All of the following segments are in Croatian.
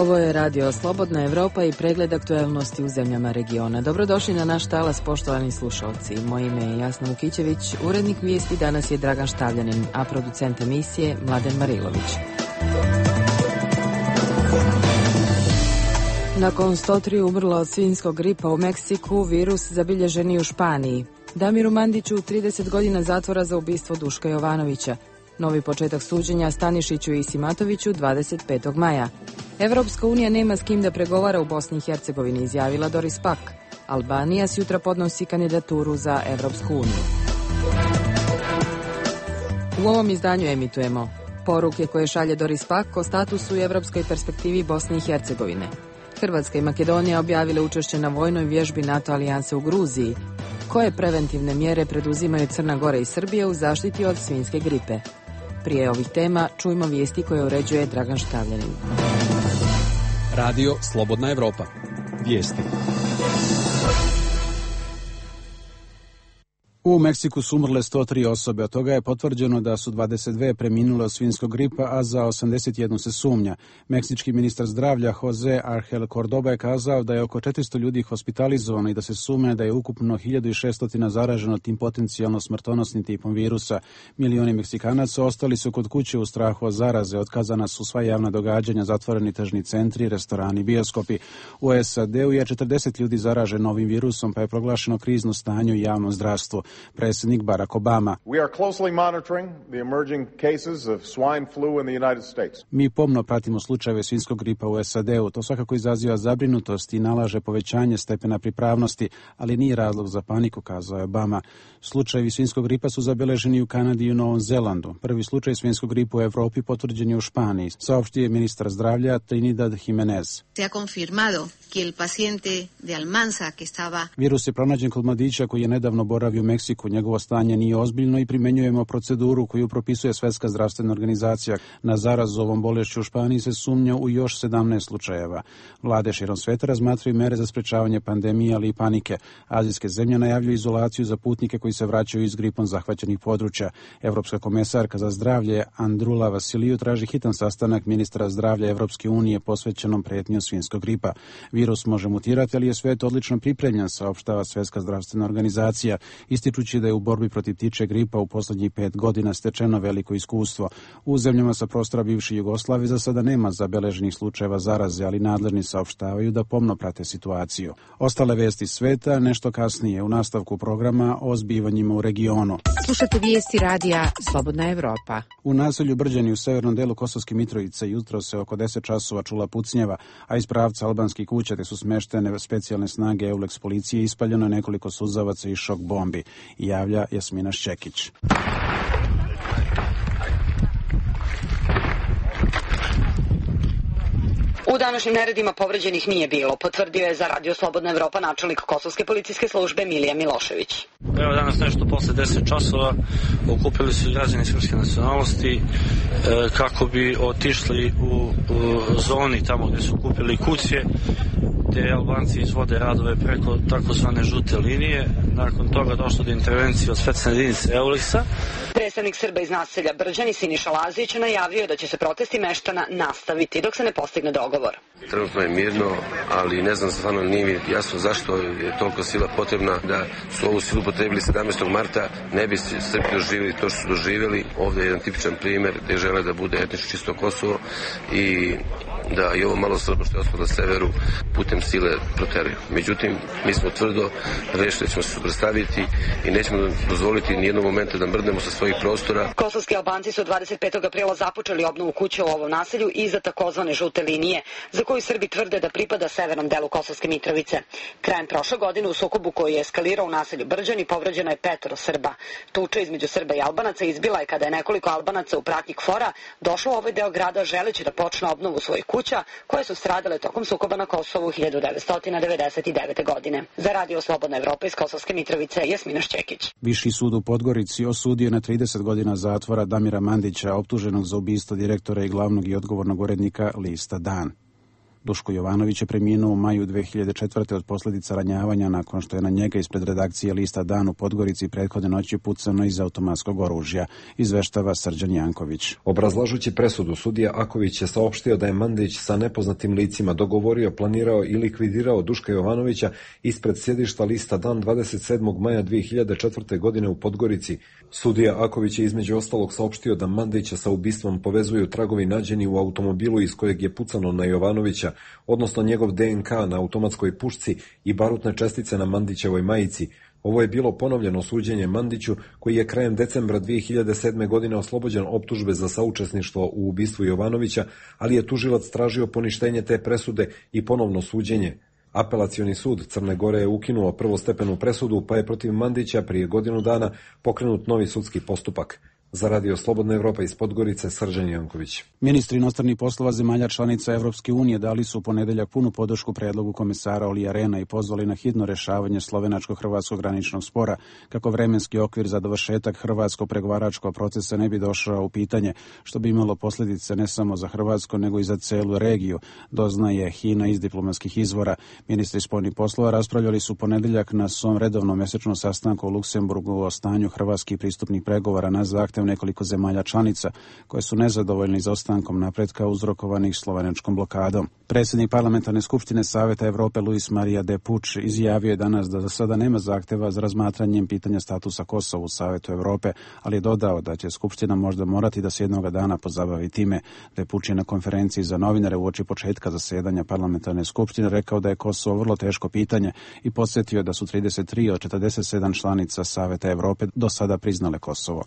Ovo je Radio Slobodna Evropa i pregled aktuelnosti u zemljama regiona. Dobrodošli na naš talas, poštovani slušalci. Moje ime je Jasna Vukićević, urednik vijesti danas je Dragan Štavljanin, a producent emisije Mladen Marilović. Nakon 103 umrlo od svinjskog gripa u Meksiku, virus zabilježen i u Španiji. Damiru Mandiću 30 godina zatvora za ubistvo Duška Jovanovića. Novi početak suđenja Stanišiću i Simatoviću 25. maja. Evropska unija nema s kim da pregovara u Bosni i Hercegovini, izjavila Doris Pack. Albanija sutra podnosi kandidaturu za Evropsku uniju. U ovom izdanju emitujemo poruke koje šalje Doris Pack o statusu i evropskoj perspektivi Bosne i Hercegovine. Hrvatska i Makedonija objavile učešće na vojnoj vježbi NATO alijanse u Gruziji. Koje preventivne mjere preduzimaju Crna Gora i Srbija u zaštiti od svinjske gripe? Prije ovih tema čujmo vijesti koje uređuje Dragan Štavljanin. Radio Slobodna Evropa. Vijesti. U Meksiku su umrle 103 osobe, od toga je potvrđeno da su 22 preminule od svinjskog gripa, a za 81 se sumnja. Meksički ministar zdravlja Jose Argel Cordoba je kazao da je oko 400 ljudi hospitalizovano i da se sumnja da je ukupno 1600 zaraženo tim potencijalno smrtonosnim tipom virusa. Milioni Meksikanaca ostali su kod kuće u strahu od zaraze, otkazana su sva javna događanja, zatvoreni tržni centri, restorani, bioskopi. U SAD-u je 40 ljudi zaraženo novim virusom, pa je proglašeno krizno stanje u javnom zdravstvu. Predsjednik Barack Obama. Mi pomno pratimo slučajeve svinjskog gripa u SAD-u. To svakako izaziva zabrinutost i nalaže povećanje stepena pripravnosti, ali nije razlog za paniku, kazao je Obama. Slučajevi svinjskog gripa su zabeleženi u Kanadi i u Novom Zelandu. Prvi slučaj svinjskog gripa u Evropi potvrđen je u Španiji, saopštio je ministar zdravlja Trinidad Jimenez. Virus je pronađen kod mladića koji je nedavno boravio u Meksiku. Njegovo stanje nije ozbiljno i primenjujemo proceduru koju propisuje Svjetska zdravstvena organizacija. Na zarazu ovom bolešću u Španiji se sumnja u još 17 slučajeva. Vlade širom sveta razmatraju mere za sprečavanje pandemije, ali i panike. Azijske zemlje najavljuju izolaciju za putnike koji se vraćaju iz gripom zahvaćenih područja. Evropska komesarka za zdravlje Andrula Vasiliju traži hitan sastanak ministra zdravlja Evropske unije posvećenom prijetnji svinjskog gripa. Virus može mutirati, ali je svijet odlično pripremljen, saopštava Svjetska zdravstvena organizacija, ističući da je u borbi protiv ptičje gripa u posljednjih 5 godina stečeno veliko iskustvo. U zemljama sa prostora bivše Jugoslavije za sada nema zabeleženih slučajeva zaraze, ali nadležni saopštavaju da pomno prate situaciju. Ostale vijesti sveta nešto kasnije u nastavku programa o zbivanjima u regionu. Slušate vijesti radija Slobodna Evropa. U naselju Brđani u severnom delu Kosovske Mitrovice jutro se oko 10 časova čula pucnjeva, a iz pravca albanskih kuća te su smeštene specijalne snage EULEX policije, ispaljeno nekoliko suzavaca i šok bombi, javlja Jasmina Šćekić. U današnjim neredima povređenih nije bilo, potvrdio je za Radio Slobodna Evropa načelnik Kosovske policijske službe Milija Milošević. Evo danas nešto posle 10 časova okupili su građani srpske nacionalnosti kako bi otišli u zoni tamo gdje su kupili kuće, gdje Albanci izvode radove preko takozvane žute linije. Nakon toga došlo do intervencije od specijalne jedinice EULEX-a. Predstavnik Srba iz naselja Brđani Siniša Lazić najavio je da će se protesti meštana nastaviti dok se ne postigne dogovor. Trenutno je mirno, ali ne znam, stvarno nije mi jasno zašto je toliko sila potrebna. Da su ovu silu potrebili 17. marta, ne bi Srbi doživjeli to što su doživjeli. Ovdje je jedan tipičan primjer gdje žele da bude etnički čisto Kosovo i da i ovo malo Srba što je ostalo na severu putem sile proteraju. Međutim, mi smo tvrdo rešili da ćemo se suprotstaviti i nećemo dozvoliti nijednog momenta da mrdnemo sa svojih prostora. Kosovski Albanci su 25. aprila započeli obnovu kuće u ovom naselju iza takozvane žute linije, za koju Srbi tvrde da pripada severnom delu Kosovske Mitrovice. Krajem prošle godine u sukobu koji je eskalirao u naselju Brđani povređeno je 5 Srba. Tuča između Srba i Albanaca izbila je kada je nekoliko Albanaca u pratnji KFOR-a došlo u ovaj deo grada želeći da počne obnovu svojih kuća koje su stradale tokom sukoba na Kosovu 1999. godine. Za Radio Slobodna Evropa iz Kosovske Mitrovice, Jasmina Šćekić. Viši sud u Podgorici osudio na 30 godina zatvora Damira Mandića, optuženog za ubistvo direktora i glavnog i odgovornog urednika lista Dan. Duško Jovanović je preminuo u maju 2004. od posljedica ranjavanja nakon što je na njega ispred redakcije lista Dan u Podgorici prethodne noći pucano iz automatskog oružja, izveštava Srđan Janković. Obrazlažući presudu, sudija Aković je saopštio da je Mandić sa nepoznatim licima dogovorio, planirao i likvidirao Duška Jovanovića ispred sjedišta lista Dan 27. maja 2004. godine u Podgorici. Sudija Aković je između ostalog saopštio da Mandića sa ubistvom povezuju tragovi nađeni u automobilu iz kojeg je pucano na Jovanovića, odnosno njegov DNK na automatskoj pušci i barutne čestice na Mandićevoj majici. Ovo je bilo ponovljeno suđenje Mandiću, koji je krajem decembra 2007. godine oslobođen optužbe za saučesništvo u ubistvu Jovanovića, ali je tužilac tražio poništenje te presude i ponovno suđenje. Apelacioni sud Crne Gore je ukinuo prvostepenu presudu, pa je protiv Mandića prije godinu dana pokrenut novi sudski postupak. Za Radio Slobodna Evropa iz Podgorice, Srđan Janković. Ministri inostranih poslova zemalja članica Evropske unije dali su u ponedeljak punu podršku predlogu komesara Olija Rehna i pozvali na hitno rešavanje slovenačko-hrvatskog graničnog spora, kako vremenski okvir za dovršetak hrvatskog pregovaračkog procesa ne bi došao u pitanje, što bi imalo posljedice ne samo za Hrvatsku, nego i za celu regiju, doznaje HINA iz diplomatskih izvora. Ministri spoljnih poslova raspravljali su u ponedeljak na svom redovnom mesečnom sastanku u Luksemburgu o stanju hrvatskih pristupnih pregovora na zahtev nekoliko zemalja članica koje su nezadovoljni izostankom napretka uzrokovanih slovenačkom blokadom. Predsjednik Parlamentarne skupštine Saveta Evrope Luis Maria de Puig izjavio je danas da za sada nema zahteva za razmatranjem pitanja statusa Kosova u Savetu Evrope, ali je dodao da će skupština možda morati da se jednoga dana pozabavi time. De Puig je na konferenciji za novinare uoči početka zasedanja Parlamentarne skupštine rekao da je Kosovo vrlo teško pitanje i podsjetio da su 33 od 47 članica Saveta Evrope do sada priznale Kosovo.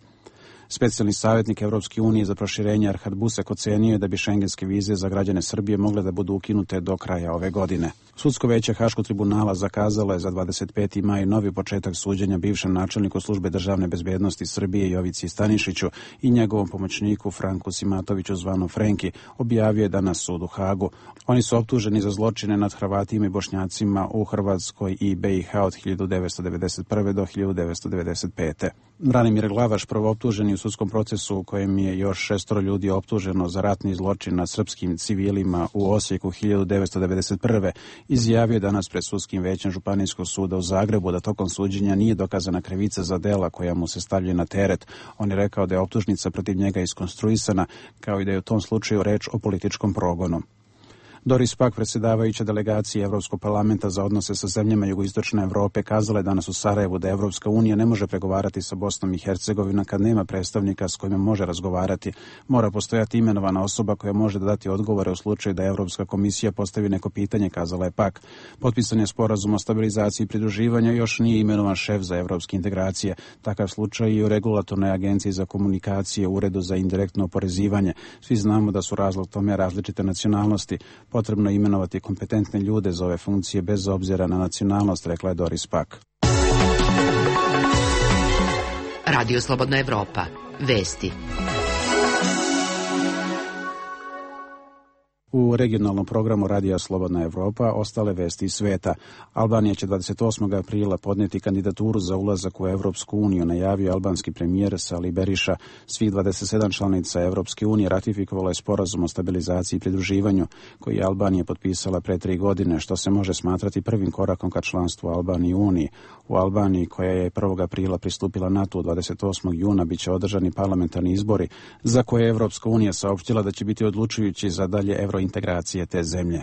Specijalni savjetnik Evropske unije za proširenje Erhard Busek ocenio je da bi šengenske vize za građane Srbije mogle da budu ukinute do kraja ove godine. Sudsko veće Haškog tribunala zakazalo je za 25. maj novi početak suđenja bivšem načelniku službe državne bezbednosti Srbije Jovici Stanišiću i njegovom pomoćniku Franku Simatoviću zvano Frenki, objavio je danas sud u Hagu. Oni su optuženi za zločine nad Hrvatima i Bošnjacima u Hrvatskoj i BiH od 1991. do 1995. Branimir Glavaš, prvooptuženi u sudskom procesu u kojem je još 6 ljudi optuženo za ratni zločin nad srpskim civilima u Osijeku 1991. izjavio danas pred sudskim većem Županijskog suda u Zagrebu da tokom suđenja nije dokazana krivica za dela koja mu se stavljaju na teret. On je rekao da je optužnica protiv njega iskonstruisana, kao i da je u tom slučaju reč o političkom progonu. Doris Pack, predsjedavajuća delegacije Evropskog parlamenta za odnose sa zemljama jugoistočne Evrope, kazala je danas u Sarajevu da Evropska unija ne može pregovarati sa Bosnom i Hercegovinom kad nema predstavnika s kojima može razgovarati. Mora postojati imenovana osoba koja može dati odgovore u slučaju da Evropska komisija postavi neko pitanje, kazala je Pack. Potpisan je sporazum o stabilizaciji i pridruživanju, još nije imenovan šef za evropske integracije. Takav slučaj i u regulatornoj agenciji za komunikacije, uredu za indirektno oporezivanje. Svi znamo da su razlog tome različite nacionalnosti. Potrebno je imenovati kompetentne ljude za ove funkcije bez obzira na nacionalnost, rekla je Doris Pack. Radio Slobodna Evropa. Vesti. U regionalnom programu Radija Slobodna Evropa ostale vesti iz sveta. Albanija će 28. aprila podnijeti kandidaturu za ulazak u Evropsku uniju, najavio albanski premijer Sali Beriša. Svih 27 članica Evropske unije ratifikovalo je sporazum o stabilizaciji i pridruživanju, koji je Albanija potpisala pre 3 godine, što se može smatrati prvim korakom ka članstvu Albanije u Uniji. U Albaniji, koja je 1. aprila pristupila NATO 28. juna, bit će održani parlamentarni izbori, za koje je Evropska unija saopštila da će biti odlučujući za dalje evrointegracije te zemlje.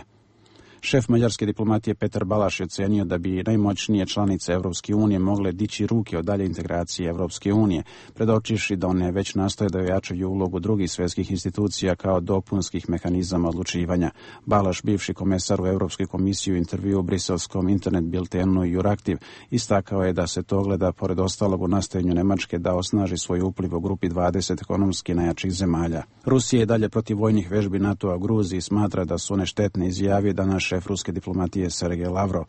Šef mađarske diplomatije Petar Balaš je ocenio da bi najmoćnije članice Evropske unije mogle dići ruke od dalje integracije Evropske unije, predočivši da one već nastoje da ojačaju ulogu drugih svjetskih institucija kao dopunskih mehanizama odlučivanja. Balaš, bivši komesar u Evropskoj komisiji, u intervju u briselskom internet biltenu Juraktiv, istakao je da se to gleda pored ostalog u nastojanju Nemačke da osnaži svoj upliv u grupi 20 ekonomski najjačih zemalja. Rusija je dalje protiv vojnih vežbi NATO-a u Gruziji, smatra da su one štetne, izjavio danas šef ruske diplomatije Sergej Lavrov.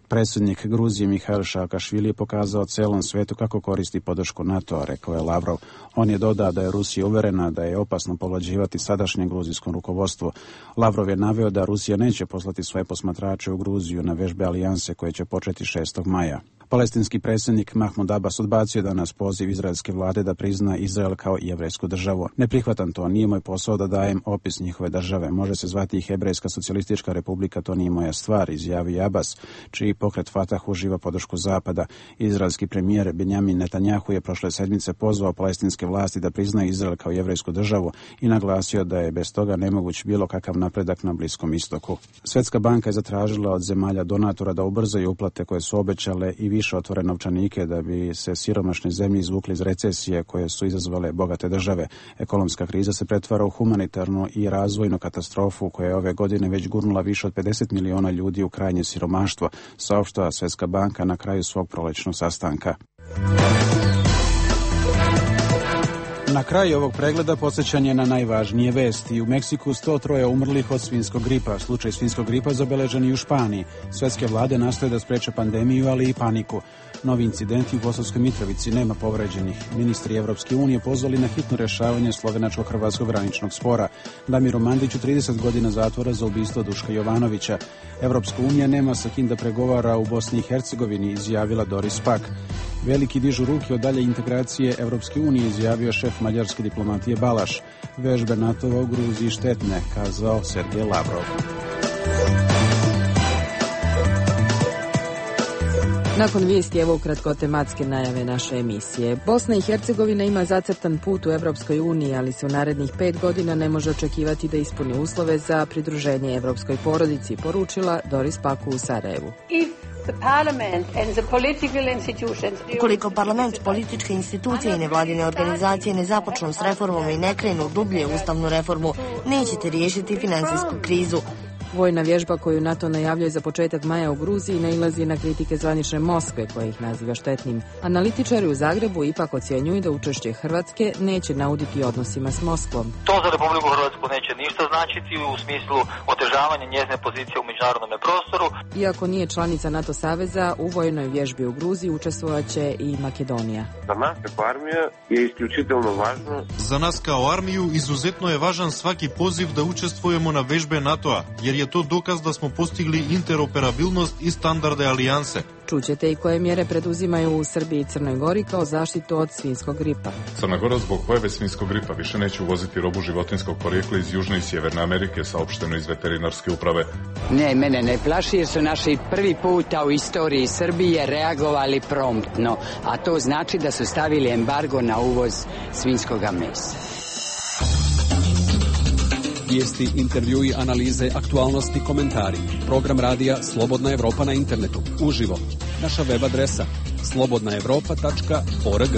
Predsjednik Gruzije Mihail Saakašvili je pokazao celom svetu kako koristi podršku NATO-a, rekao je Lavrov. On je dodao da je Rusija uverena da je opasno povlađivati sadašnjem gruzijskom rukovodstvu. Lavrov je naveo da Rusija neće poslati svoje posmatrače u Gruziju na vežbe alijanse koje će početi 6. maja. Palestinski predsjednik Mahmud Abbas odbacio danas poziv izraelske vlade da prizna Izrael kao jevrejsku državu. Ne prihvatam to, nije moj posao da dajem opis njihove države. Može se zvati i Hebrejska socijalistička republika, to nije moja stvar, izjavio Abbas, čiji pokret Fatah uživa podršku Zapada. Izraelski premijer Benjamin Netanjahu je prošle sedmice pozvao palestinske vlasti da priznaju Izrael kao jevrejsku državu i naglasio da je bez toga nemoguć bilo kakav napredak na Bliskom istoku. Svjetska banka je zatražila od zemalja donatora da ubrzaju uplate koje su obećale i više otvore novčanike da bi se siromašne zemlje izvukli iz recesije koje su izazvale bogate države. Ekonomska kriza se pretvara u humanitarnu i razvojnu katastrofu koja je ove godine već gurnula više od 50 miliona ljudi u krajnje siromaštvo, saopštava Svjetska banka na kraju svog prolećnog sastanka. Na kraju ovog pregleda podsjećanje na najvažnije vesti. U Meksiku 103 umrlih od svinjskog gripa. Slučaj svinjskog gripa zabeležen i u Španiji. Svetske vlade nastoje da spreče pandemiju, ali i paniku. Novi incidenti u Kosovskoj Mitrovici, nema povređenih. Ministri Evropske unije pozvali na hitno rješavanje slovenačko-hrvatskog graničnog spora. Damiru Mandiću 30 godina zatvora za ubistvo Duška Jovanovića. Evropska unija nema sa kim da pregovara u Bosni i Hercegovini, izjavila Doris Pack. Veliki dižu ruke od dalje integracije Evropske unije, izjavio šef mađarske diplomatije Balaš. Vežbe NATO-a u Gruziji štetne, kazao Sergej Lavrov. Nakon vijesti evo ukratko tematske najave naše emisije. Bosna i Hercegovina ima zacrtan put u Evropskoj uniji, ali se u narednih 5 godina ne može očekivati da ispuni uslove za pridruženje evropskoj porodici, poručila Doris Pack u Sarajevu. Ukoliko parlament, političke institucije i nevladine organizacije ne započnu s reformom i ne krenu dublje ustavnu reformu, nećete riješiti financijsku krizu. Vojna vježba koju NATO najavljuje za početak maja u Gruziji nailazi na kritike zvanične Moskve, koja ih naziva štetnim. Analitičari u Zagrebu ipak ocjenjuju da učešće Hrvatske neće nauditi odnosima s Moskvom. To za Republiku Hrvatsku neće ništa značiti u smislu otežavanja njezine pozicije u međunarodnom prostoru. Iako nije članica NATO saveza, u vojnoj vježbi u Gruziji učestvovat će i Makedonija. Za nas kao armija je isključitelno važno. Za nas kao armiju izuzetno je važan svaki poziv da učestvujemo na vežbe NATO-a, jer je to dokaz da smo postigli interoperabilnost i standarde alijanse. Čućete i koje mjere preduzimaju u Srbiji i Crnoj Gori kao zaštitu od svinjskog gripa. Crna Gora zbog pojave svinjskog gripa više neće uvoziti robu životinjskog porijekla iz Južne i Sjeverne Amerike, saopšteno iz veterinarske uprave. Ne, mene ne plaši jer su naši prvi puta u istoriji Srbije reagovali promptno, a to znači da su stavili embargo na uvoz svinjskoga mesa. Vijesti, intervjui, analize, aktualnosti, komentari. Program radija Slobodna Evropa na internetu. Uživo. Naša web adresa slobodnaevropa.org.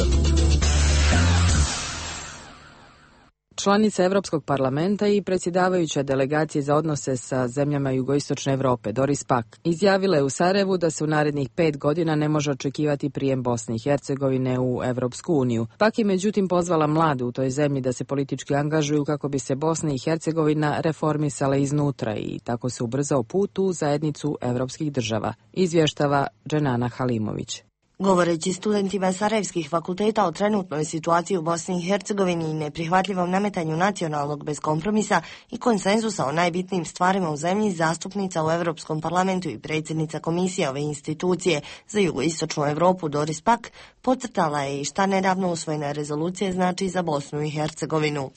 Članica Europskog parlamenta i predsjedavajuća delegacije za odnose sa zemljama jugoistočne Europe, Doris Pack, izjavila je u Sarajevu da se u narednih 5 godina ne može očekivati prijem Bosne i Hercegovine u Europsku uniju. Pack je međutim pozvala mlade u toj zemlji da se politički angažuju kako bi se Bosna i Hercegovina reformisala iznutra i tako se ubrzao put u zajednicu europskih država, izvještava Dženana Halimović. Govoreći studentima sarajevskih fakulteta o trenutnoj situaciji u Bosni i Hercegovini i neprihvatljivom nametanju nacionalnog bez kompromisa i konsenzusa o najbitnijim stvarima u zemlji, zastupnica u Europskom parlamentu i predsjednica komisije ove institucije za jugoistočnu Europu Doris Pack podcrtala je i šta nedavno usvojena rezolucija znači za Bosnu i Hercegovinu.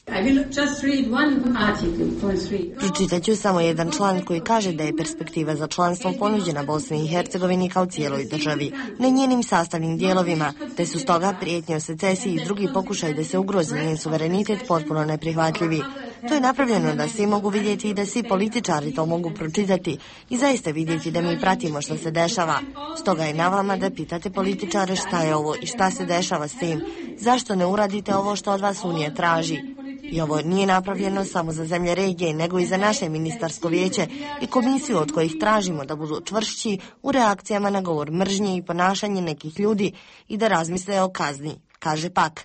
Pročitaću samo jedan član koji kaže da je perspektiva za članstvo ponuđena Bosni i Hercegovini kao cijeloj državi, ne njenim sastavnim dijelovima, te su stoga prijetnje o secesiji i drugi pokušaj da se ugrozi njen suverenitet potpuno neprihvatljivi. To je napravljeno da svi mogu vidjeti i da svi političari to mogu pročitati i zaista vidjeti da mi pratimo što se dešava. Stoga je na vama da pitate političare šta je ovo i šta se dešava s tim. Zašto ne uradite ovo što od vas Unija traži? I ovo nije napravljeno samo za zemlje regije, nego i za naše ministarsko vijeće i komisiju od kojih tražimo da budu čvršći u reakcijama na govor mržnje i ponašanje nekih ljudi i da razmisle o kazni, kaže Pack.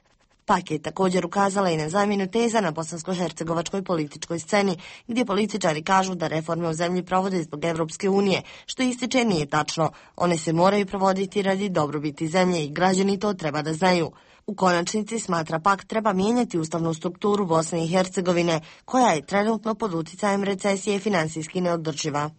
Pack je također ukazala i na zamjenu teza na bosansko-hercegovačkoj političkoj sceni, gdje političari kažu da reforme u zemlji provode zbog Evropske unije, što ističe nije tačno. One se moraju provoditi radi dobrobiti zemlje i građani to treba da znaju. U konačnici, smatra Pack, treba mijenjati ustavnu strukturu Bosne i Hercegovine, koja je trenutno pod utjecajem recesije financijski neodrživa.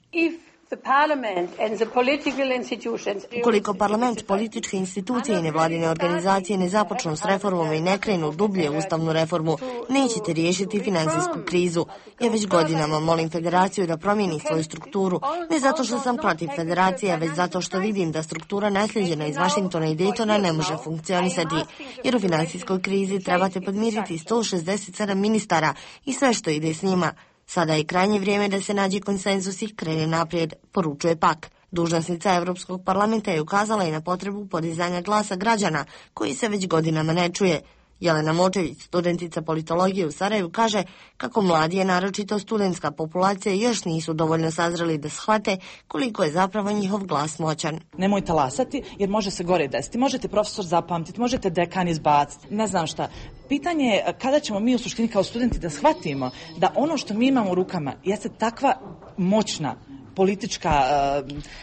Ukoliko parlament, političke institucije i nevladine organizacije ne započnu s reformom i ne krenu dublje ustavnu reformu, nećete riješiti finansijsku krizu. Ja već godinama molim federaciju da promijeni svoju strukturu, ne zato što sam protiv federacije, već zato što vidim da struktura nasljeđena iz Vašingtona i Daytona ne može funkcionisati, jer u finansijskoj krizi trebate podmiriti 167 ministara i sve što ide s njima. Sada je krajnje vrijeme da se nađe konsenzus i krene naprijed, poručuje pak. Dužnosnica Europskog parlamenta je ukazala i na potrebu podizanja glasa građana, koji se već godinama ne čuje. Jelena Močević, studentica politologije u Sarajevu, kaže kako mladi, naročito studentska populacija, još nisu dovoljno sazreli da shvate koliko je zapravo njihov glas moćan. Nemoj talasati, jer može se gore desiti. Možete profesor zapamtiti, možete dekan izbaciti, ne znam šta. Pitanje je kada ćemo mi u suštini kao studenti da shvatimo da ono što mi imamo u rukama jeste takva moćna politička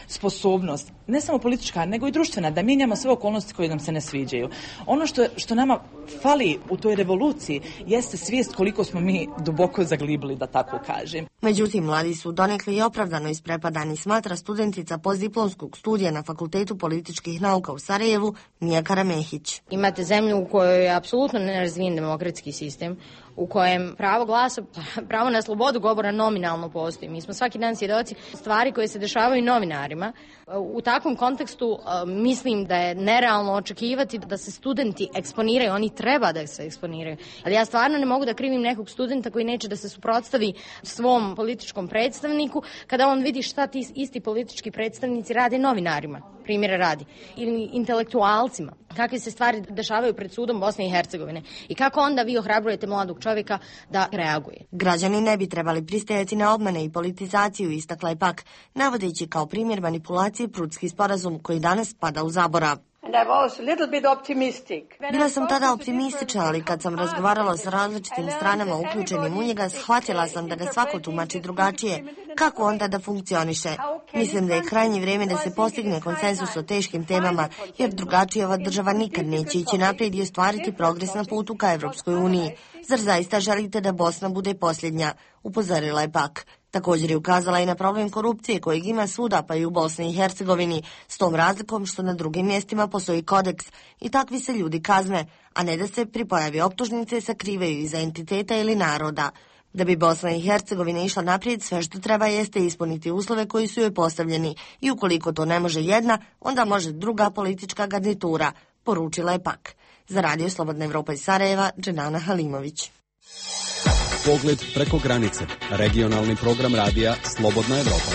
sposobnost, ne samo politička, nego i društvena, da mijenjamo sve okolnosti koje nam se ne sviđaju. Ono što nama fali u toj revoluciji jeste svijest koliko smo mi duboko zaglibili, da tako kažem. Međutim, mladi su donekle i opravdano isprepadani, smatra studentica postdiplomskog studija na Fakultetu političkih nauka u Sarajevu, Mija Karamehić. Imate zemlju u kojoj je apsolutno nerazvijen demokratski sistem, u kojem pravo glasa, pravo na slobodu govora nominalno postoji. Mi smo svaki dan svjedoci stvari koje se dešavaju novinarima. U takvom kontekstu mislim da je nerealno očekivati da se studenti eksponiraju, oni treba da se eksponiraju. Ali ja stvarno ne mogu da krivim nekog studenta koji neće da se suprotstavi svom političkom predstavniku kada on vidi šta ti isti politički predstavnici rade novinarima, primjera radi, ili intelektualcima. Kakve se stvari dešavaju pred sudom Bosne i Hercegovine i kako onda vi ohrabrujete mladog čovjeka da reaguje. Građani ne bi trebali pristajati na obmane i politizaciju, istakla je pak, navodeći kao primjer manipulacije Prudski sporazum koji danas pada u zaborav. Bila sam tada optimistična, ali kad sam razgovarala s različitim stranama uključenim u njega, shvatila sam da ga svako tumači drugačije. Kako onda da funkcioniše? Mislim da je krajnje vrijeme da se postigne konsenzus o teškim temama, jer drugačije ova država nikad neće ići naprijed i ostvariti progres na putu ka Evropskoj uniji. Zar zaista želite da Bosna bude posljednja? Upozorila je pak. Također je ukazala i na problem korupcije kojeg ima svuda, pa i u Bosni i Hercegovini, s tom razlikom što na drugim mjestima postoji kodeks i takvi se ljudi kazne, a ne da se pri pojavi optužnice sakrivaju iza entiteta ili naroda. Da bi Bosna i Hercegovina išla naprijed, sve što treba jeste ispuniti uslove koji su joj postavljeni i ukoliko to ne može jedna, onda može druga politička garnitura, poručila je pak. Za Radio Slobodna Evropa iz Sarajeva, Dženana Halimović. Pogled preko granice. Regionalni program radija Slobodna Evropa.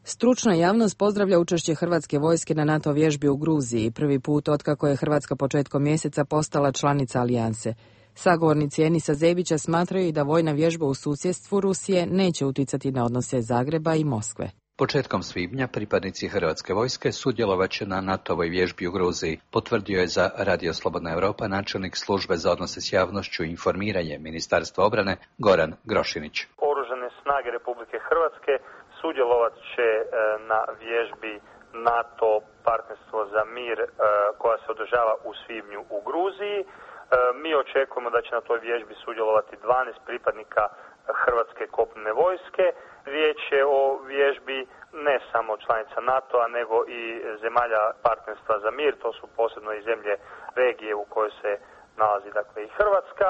Stručna javnost pozdravlja učešće hrvatske vojske na NATO vježbi u Gruziji, prvi put otkako je Hrvatska početkom mjeseca postala članica alijanse. Sagovornici Enisa Zebića smatraju da vojna vježba u susjedstvu Rusije neće utjecati na odnose Zagreba i Moskve. Početkom svibnja pripadnici Hrvatske vojske sudjelovat će na NATO-voj vježbi u Gruziji, potvrdio je za Radio Slobodna Evropa načelnik službe za odnose s javnošću i informiranje Ministarstva obrane Goran Grošinić. Oružane snage Republike Hrvatske sudjelovat će na vježbi NATO partnerstvo za mir koja se održava u svibnju u Gruziji. Mi očekujemo da će na toj vježbi sudjelovati 12 pripadnika Hrvatske kopnene vojske. Riječ je o vježbi ne samo članica NATO-a, nego i zemalja partnerstva za mir. To su posebno i zemlje regije u kojoj se nalazi dakle i Hrvatska.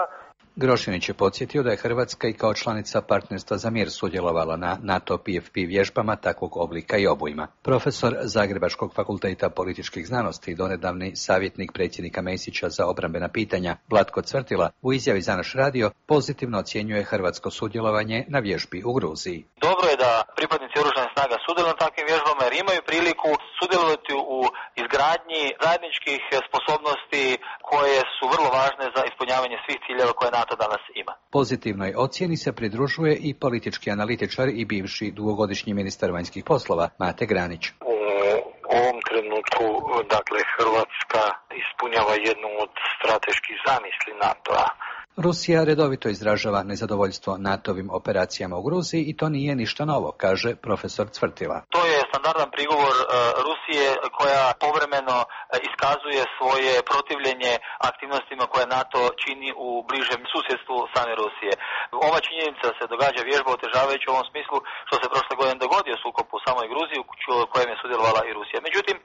Grošinić je podsjetio da je Hrvatska i kao članica partnerstva za mir sudjelovala na NATO PFP vježbama takvog oblika i obujma. Profesor Zagrebačkog fakulteta političkih znanosti i donedavni savjetnik predsjednika Mesića za obrambena pitanja Vlatko Cvrtila u izjavi za naš radio pozitivno ocjenjuje hrvatsko sudjelovanje na vježbi u Gruziji. Dobro je da pripadnici oružanih snaga sudjeluju na takvim vježbama jer imaju priliku sudjelovati u izgradnji zajedničkih sposobnosti koje su vrlo važne za ispunjavanje svih ciljeva koje NATO danas ima. Pozitivnoj ocjeni se pridružuje i politički analitičar i bivši dugogodišnji ministar vanjskih poslova Mate Granić. U ovom trenutku, dakle, Hrvatska ispunjava jednu od strateških zamisli NATO-a. Rusija redovito izražava nezadovoljstvo NATO-vim operacijama u Gruziji i to nije ništa novo, kaže profesor Cvrtila. To je standardan prigovor Rusije koja povremeno iskazuje svoje protivljenje aktivnostima koje NATO čini u bližem susjedstvu same Rusije. Ova činjenica se događa vježba otežavajući u ovom smislu što se prošle godine dogodio sukob u samoj Gruziji u kojem je sudjelovala i Rusija. Međutim,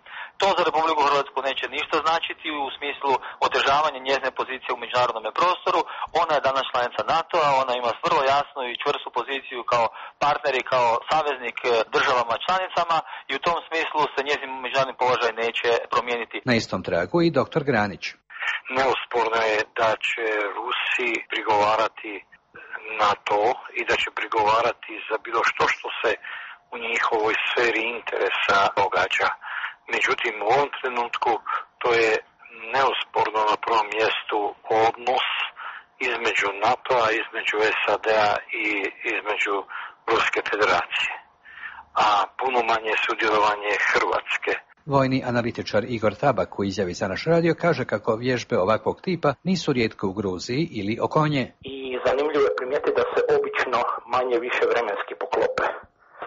to za Republiku Hrvatsku neće ništa značiti u smislu otežavanja njezine pozicije u međunarodnom prostoru. Ona je danas članica NATO-a, ona ima vrlo jasnu i čvrstu poziciju kao partner i kao saveznik državama članicama i u tom smislu se njezin međunarodni položaj neće promijeniti. Na istom tragu i dr. Granić. Neosporno je da će Rusiji prigovarati na to i da će prigovarati za bilo što se u njihovoj sferi interesa događa. Međutim, u ovom trenutku to je neosporno na prvom mjestu odnos između NATO-a, između SAD-a i između Ruske federacije, a puno manje sudjelovanje Hrvatske. Vojni analitičar Igor Tabak u izjavi za naš radio kaže kako vježbe ovakvog tipa nisu rijetke u Gruziji ili oko nje. I zanimljivo je primijetiti da se obično manje više vremenski poklope.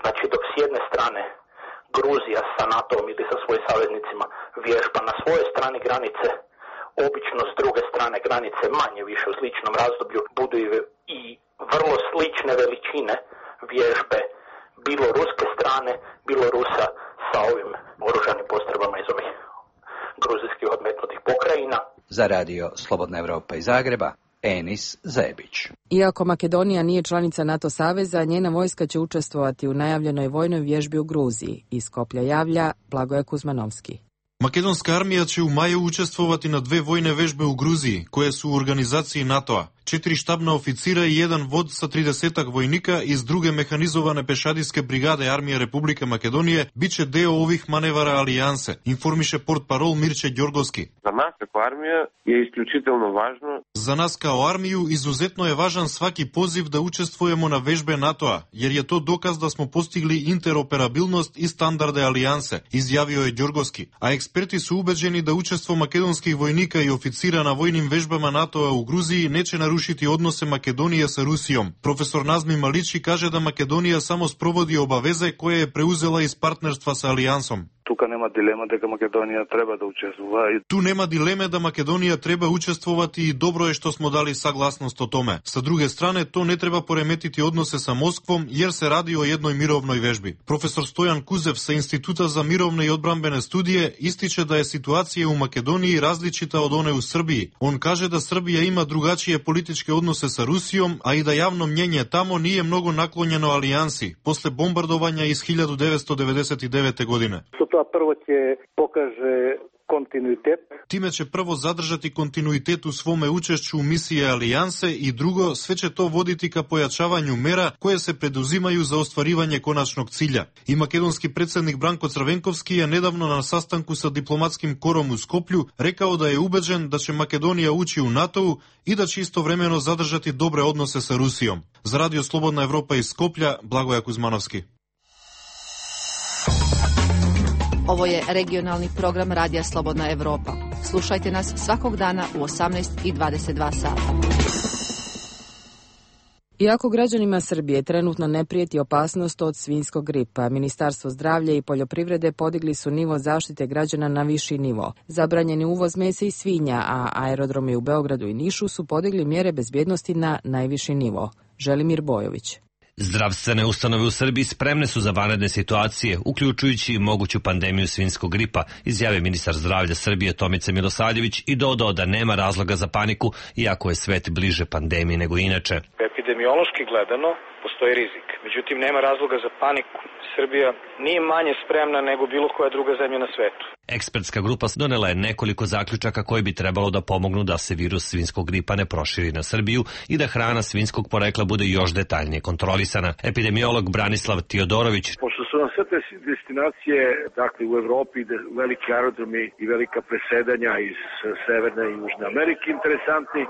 Znači dok s jedne strane Gruzija sa NATO-om ili sa svojim saveznicima vježba na svojoj strani granice, obično s druge strane granice manje više u sličnom razdoblju budu i vrlo slične veličine vježbe bilo ruske strane, bilo Rusa sa ovim oružanim postrojbama iz ovih gruzijskih odmetnutih pokrajina. Za radio Slobodna Evropa iz Zagreba, Enis Zebić. Iako Makedonija nije članica NATO saveza, njena vojska će učestvovati u najavljenoj vojnoj vježbi u Gruziji. Iz Skoplja javlja Blagoje Kuzmanovski. Makedonska armija će u maju učestvovati na 2 vojne vežbe u Gruziji, koje su u organizaciji NATO-a. 4 štabna oficira i 1 vod sa 30 vojnika iz druge mehanizovane pešadijske brigade Armije Republike Makedonije biće deo ovih manevara alijanse, informiše portparol Mirče Đorgovski. Za nas kao armija je isključitelno važno. Za nas kao armiju izuzetno je važan svaki poziv da učestvujemo na vežbe NATO-a, jer je to dokaz da smo postigli interoperabilnost i standarde alijanse, izjavio je Đorgovski. A eksperti su ubeđeni da učestvo makedonskih vojnika i oficira na vojnim vežbama NATO-a u Gruziji neće narušiti odnose Makedonije sa Rusijom. Profesor Nazmi Malići kaže da Makedonija samo sprovodi obaveze koje je preuzela iz partnerstva sa alijansom. Тука нема дилема дека Македонија треба да учествува. Tu nema dileme da Makedonija treba učestvovati i dobro je što smo dali saglasnost o tome. Sa druge strane, to ne treba poremetiti odnose sa Moskvom jer se radi o jednoj mirovnoj vežbi. Profesor Stojan Kuzev sa Instituta za mirovne i odbrambene studije ističe da je situacija u Makedoniji različita od one u Srbiji. On kaže da Srbija ima drugačije političke odnose sa Rusijom, a i da javno mnjenje tamo nije mnogo naklonjeno alijansi posle bombardovanja iz 1999. godine. Prvo će pokaže kontinuitet. Time će prvo zadržati kontinuitet u svome učešću u misije alijanse i drugo, sve će to voditi ka pojačavanju mera koje se preduzimaju za ostvarivanje konačnog cilja. I makedonski predsjednik Branko Crvenkovski je nedavno na sastanku sa diplomatskim korom u Skoplju rekao da je ubeđen da će Makedonija ući u NATO-u i da će istovremeno zadržati dobre odnose sa Rusijom. Za radio Slobodna Evropa iz Skoplja, Blagoje Kuzmanovski. Ovo je regionalni program Radija Slobodna Evropa. Slušajte nas svakog dana u 18:22 sata. Iako građanima Srbije trenutno ne prijeti opasnost od svinjskog gripa, Ministarstvo zdravlja i poljoprivrede podigli su nivo zaštite građana na viši nivo. Zabranjeni uvoz mesa i svinja, a aerodromi u Beogradu i Nišu su podigli mjere bezbjednosti na najviši nivo. Želimir Bojović. Zdravstvene ustanove u Srbiji spremne su za vanredne situacije, uključujući i moguću pandemiju svinjskog gripa, izjavio ministar zdravlja Srbije Tomica Milosavljević i dodao da nema razloga za paniku, iako je svet bliže pandemiji nego inače. Epidemiološki gledano postoji rizik, međutim nema razloga za paniku. Srbija nije manje spremna nego bilo koja druga zemlja na svetu. Ekspertska grupa donela je nekoliko zaključaka koji bi trebalo da pomognu da se virus svinjskog gripa ne proširi na Srbiju i da hrana svinjskog porekla bude još detaljnije kontrolisana. Epidemiolog Branislav Tiodorović. Pošto su nam sve te destinacije, dakle u Evropi, veliki aerodromi i velika presedanja iz Severne i Južne Amerike interesantni,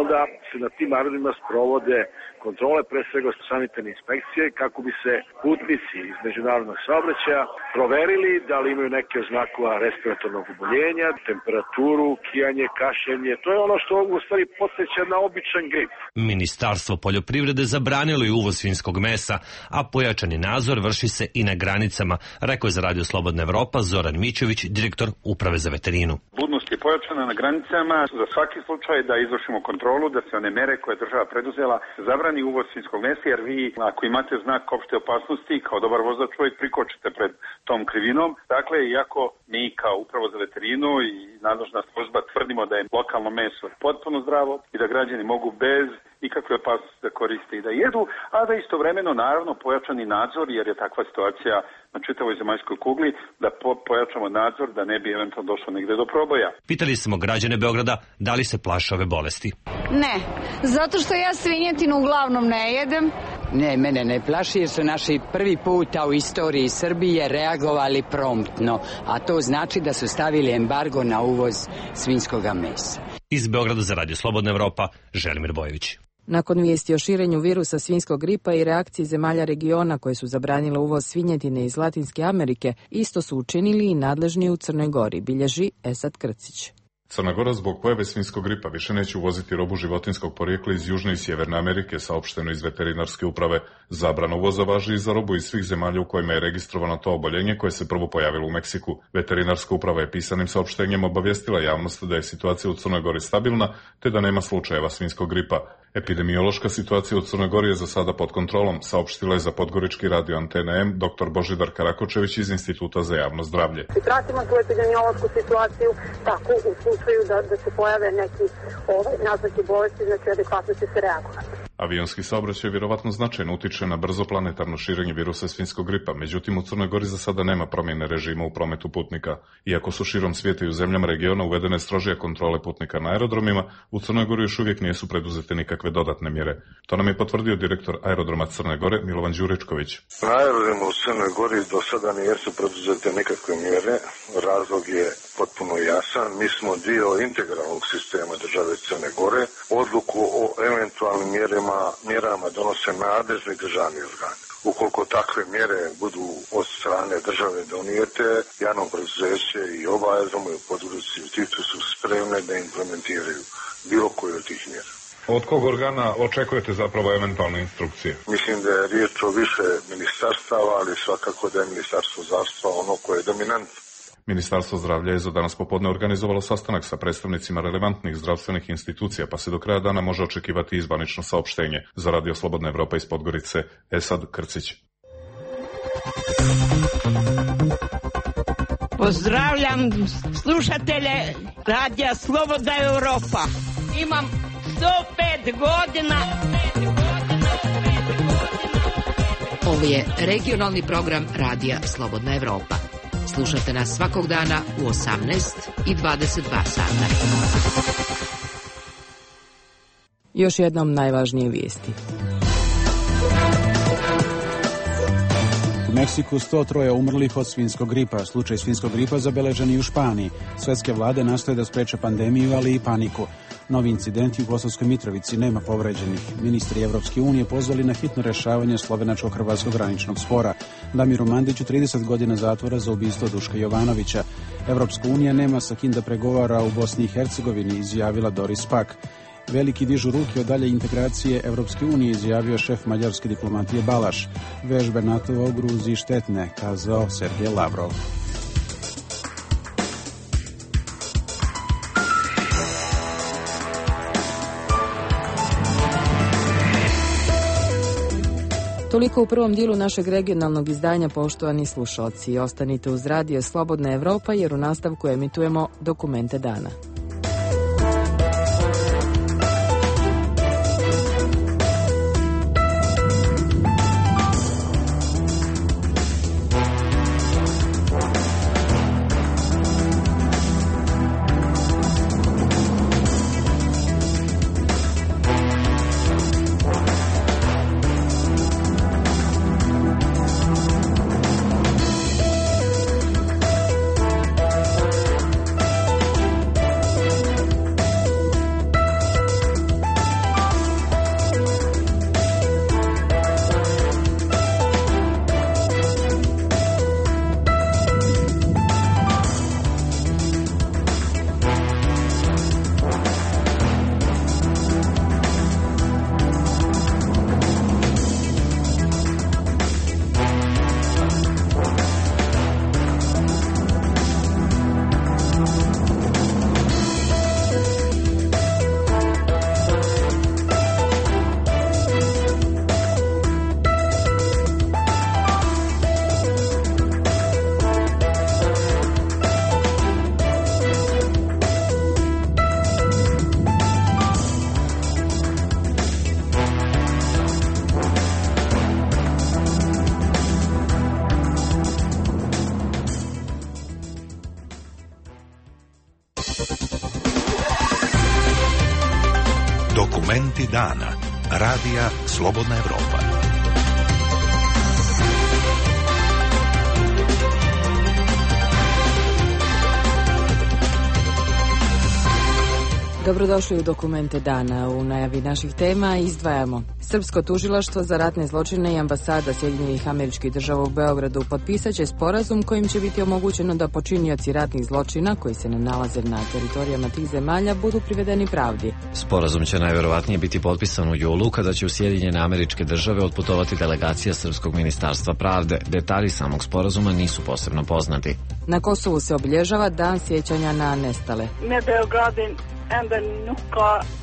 onda se na tim aerodromima sprovode kontrole, pre svega sanitarne inspekcije, kako bi se putnici iz međunarodnog saobraćaja proverili da li imaju neke od znakova respiratornog oboljenja, temperaturu, kijanje, kašljenje. To je ono što u stvari podsjeća na običan grip. Ministarstvo poljoprivrede zabranilo je uvoz svinjskog mesa, a pojačani nadzor vrši se i na granicama, rekao je za Radio Slobodna Evropa Zoran Mićović, direktor Uprave za veterinu. Budnost je pojačana na granicama za svaki slučaj da izvršimo kontrolu, da se one mere koje je država preduzela zabrani uvoz svinjskog mesa, jer vi ako imate znak opšte opasnosti kao dobar vozač uvijek prikočite pred tom krivinom. Dakle, iako mi kao Upravo za veterinu i nadležna služba tvrdimo da je lokalno meso potpuno zdravo i da građani mogu bez ikakve opasnosti da koriste i da jedu, a da istovremeno naravno pojačani nadzor, jer je takva situacija na čitavoj zemaljskoj kugli, da pojačamo nadzor da ne bi eventualno došlo negde do proboja. Pitali smo građane Beograda da li se plaše ove bolesti. Ne, zato što ja svinjetinu uglavnom ne jedem. Ne, mene ne plaši jer su naši prvi puta u istoriji Srbije reagovali promptno, a to znači da su stavili embargo na uvoz svinjskoga mesa. Iz Beograda za Radio Slobodna Evropa, Želimir Bojević. Nakon vijesti o širenju virusa svinjskog gripa i reakciji zemalja regiona koje su zabranile uvoz svinjetine iz Latinske Amerike, isto su učinili i nadležni u Crnoj Gori, bilježi Esad Krcić. Crna Gora zbog pojave svinjskog gripa više neće uvoziti robu životinjskog porijekla iz Južne i Sjeverne Amerike, saopšteno iz veterinarske uprave. Zabrana uvoza važi i za robu iz svih zemalja u kojima je registrovano to oboljenje koje se prvo pojavilo u Meksiku. Veterinarska uprava je pisanim saopštenjem obavijestila javnost da je situacija u Crnoj Gori stabilna, te da nema slučajeva svinjskog gripa. Epidemiološka situacija u Crnoj Gori je za sada pod kontrolom, saopštila je za podgorički radio Antena M dr. Božidar Karakočević iz Instituta za javno zdravlje. Pratimo tu epidemiološku situaciju tako u slučaju da se pojave neki naznaki bolesti, znači adekvatno će se reagovati. Avionski saobraćaj vjerovatno značajno utiče na brzo planetarno širenje virusa svinjskog gripa, međutim u Crnoj Gori za sada nema promjene režima u prometu putnika. Iako su širom svijeta i u zemljama regiona uvedene strožije kontrole putnika na aerodromima, u Crnoj Gori još uvijek nisu preduzete nikakve dodatne mjere. To nam je potvrdio direktor aerodroma Crne Gore Milovan Đuričković. Na aerodromu u Crnoj Gori do sada nisu preduzete nikakve mjere. Razlog je potpuno jasan. Mi smo dio integralnog sistema države Crne Gore. Odluku o eventualnim mjerama donose nadležni državni organi. Ukoliko takve mjere budu od strane države donijete, javno preduzeće i oba aerodroma u Podgorici i Titu su spremne da implementiraju bilo koju od tih mjera. Od kog organa očekujete zapravo eventualne instrukcije? Mislim da je riječ o više ministarstava, ali svakako da je ministarstvo zdravstva ono koje je dominantno. Ministarstvo zdravlja je za danas popodne organizovalo sastanak sa predstavnicima relevantnih zdravstvenih institucija, pa se do kraja dana može očekivati i zvanično saopštenje. Za Radio Slobodna Evropa iz Podgorice, Esad Krcić. Pozdravljam slušatelje Radija Slobodna Evropa. Imam 105 godina. Ovo je regionalni program Radija Slobodna Evropa. Slušajte nas svakog dana u 18 i 22 sata. Još jednom najvažnije vijesti. U Meksiku 103 umrlih od svinjskog gripa. Slučaj svinjskog gripa zabeležen i u Španiji. Svetske vlade nastoje da spreče pandemiju, ali i paniku. Novi incidenti u Kosovskoj Mitrovici, nema povređenih. Ministri Evropske unije pozvali na hitno rješavanje slovenačko-hrvatskog graničnog spora. Damiru Mandiću 30 godina zatvora za ubistvo Duška Jovanovića. Evropska unija nema sa kim da pregovara u Bosni i Hercegovini, izjavila Doris Pack. Veliki dižu ruke od dalje integracije Evropske unije, izjavio šef mađarske diplomatije Balaš. Vežbe NATO-a u Gruziji štetne, kazao Sergej Lavrov. Toliko u prvom dijelu našeg regionalnog izdanja, poštovani slušalci. Ostanite uz Radio Slobodna Evropa jer u nastavku emitujemo Dokumente dana. Dokumenti dana. Radija Slobodna Evropa. Dobrodošli u Dokumente dana. U najavi naših tema izdvajamo: Srpsko tužilaštvo za ratne zločine i ambasada Sjedinjenih Američkih Država u Beogradu potpisat će sporazum kojim će biti omogućeno da počinioci ratnih zločina koji se ne nalaze na teritorijama tih zemalja budu privedeni pravdi. Sporazum će najverovatnije biti potpisan u julu, kada će u Sjedinjene Američke Države otputovati delegacija Srpskog ministarstva pravde. Detalji samog sporazuma nisu posebno poznati. Na Kosovu se obilježava Dan sjećanja na nestale.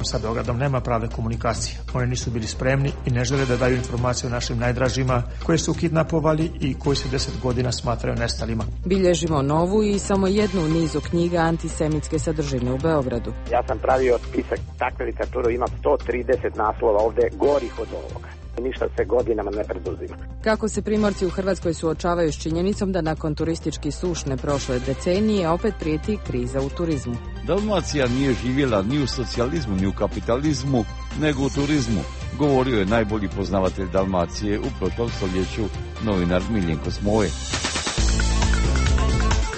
Sa Beogradom nema prave komunikacije. Oni nisu bili spremni i ne žele da daju informacije o našim najdražima koje su kidnapovali i koji se 10 godina smatraju nestalima. Bilježimo novu i samo jednu u nizu knjiga antisemitske sadržine u Beogradu. Ja sam pravio spisak takve literature, ima 130 naslova ovde gorih od ovoga. Ništa se godinama ne preduzima. Kako se Primorci u Hrvatskoj suočavaju s činjenicom da nakon turistički sušne prošle decenije opet prijeti kriza u turizmu. Dalmacija nije živjela ni u socijalizmu, ni u kapitalizmu, nego u turizmu, govorio je najbolji poznavatelj Dalmacije u prošlom stoljeću, novinar Miljenko Smoje.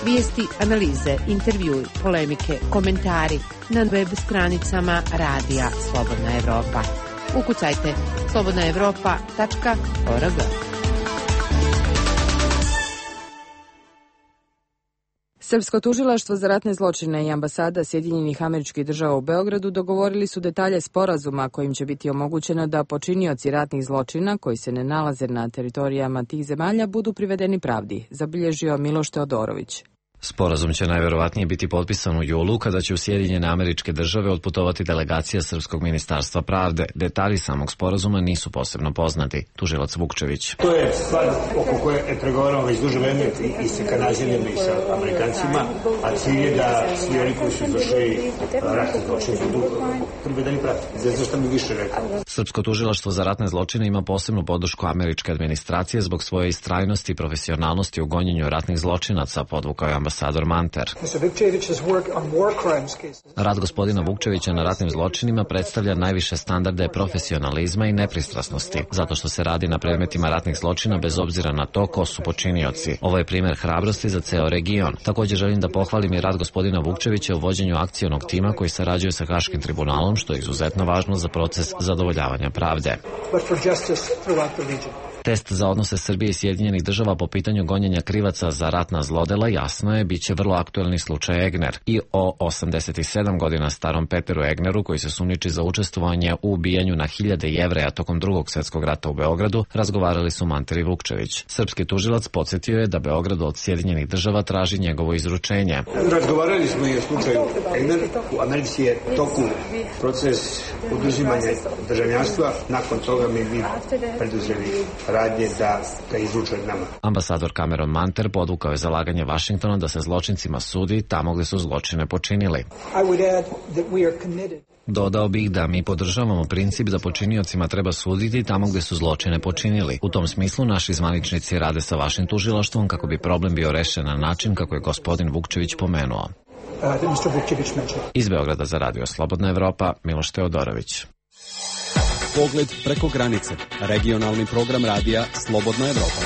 Vijesti, analize, intervjui, polemike, komentari na web stranicama Radija Slobodna Evropa. Ukucajte slobodnaevropa.org. Srpsko tužilaštvo za ratne zločine i ambasada Sjedinjenih Američkih Država u Beogradu dogovorili su detalje sporazuma kojim će biti omogućeno da počinioci ratnih zločina koji se ne nalaze na teritorijama tih zemalja budu privedeni pravdi, zabilježio Miloš Teodorović. Sporazum će najverovatnije biti potpisan u julu, kada će u Sjedinjene Američke Države otputovati delegacija Srpskog ministarstva pravde. Detalji samog sporazuma nisu posebno poznati. Tužilac Vukčević. To je stvar oko koje je pregovarano već duže vreme i sa Kanađanima i sa Amerikancima, a cilj je da svi oni koji su izvršili ratne zločine budu privedeni pravdi. Zašto mi više rekao? Srpsko tužilaštvo za ratne zločine ima posebnu podršku američke administracije zbog svoje istrajnosti i profesionalnosti u gonjenju ratnih zločinaca, podvukao je ambasador Manter. Rad gospodina Vukčevića na ratnim zločinima predstavlja najviše standarde profesionalizma i nepristrasnosti, zato što se radi na predmetima ratnih zločina bez obzira na to ko su počinioci. Ovo je primjer hrabrosti za ceo region. Također želim da pohvalim i rad gospodina Vukčevića u vođenju akcionog tima koji sarađuje sa Haškim tribunalom, što je izuzetno važno za proces zadovoljavanja pravde. Test za odnose Srbije i Sjedinjenih Država po pitanju gonjenja krivaca za ratna zlodela, jasno je, bit će vrlo aktuelni slučaj Egner. I o 87 godina starom Peteru Egneru, koji se sumnjiči za učestvovanje u ubijanju na hiljade Jevreja tokom Drugog svjetskog rata u Beogradu, razgovarali su Manter i Vukčević. Srpski tužilac podsjetio je da Beograd od Sjedinjenih Država traži njegovo izručenje. Razgovarali smo i o slučaju Egner. U Americi je toku proces oduzimanja državljanstva. Nakon toga mi preduzeli radnje da ga izruče nama. Ambasador Cameron Manter podvukao je zalaganje Vašingtona da se zločincima sudi tamo gde su zločine počinili. Dodao bih da mi podržavamo princip da počiniocima treba suditi tamo gde su zločine počinili. U tom smislu naši zvaničnici rade sa vašim tužilaštvom kako bi problem bio rešen na način kako je gospodin Vukčević pomenuo. Iz Beograda za Radio Slobodna Evropa, Miloš Teodorović. Pogled preko granice. Regionalni program radija Slobodna Evropa.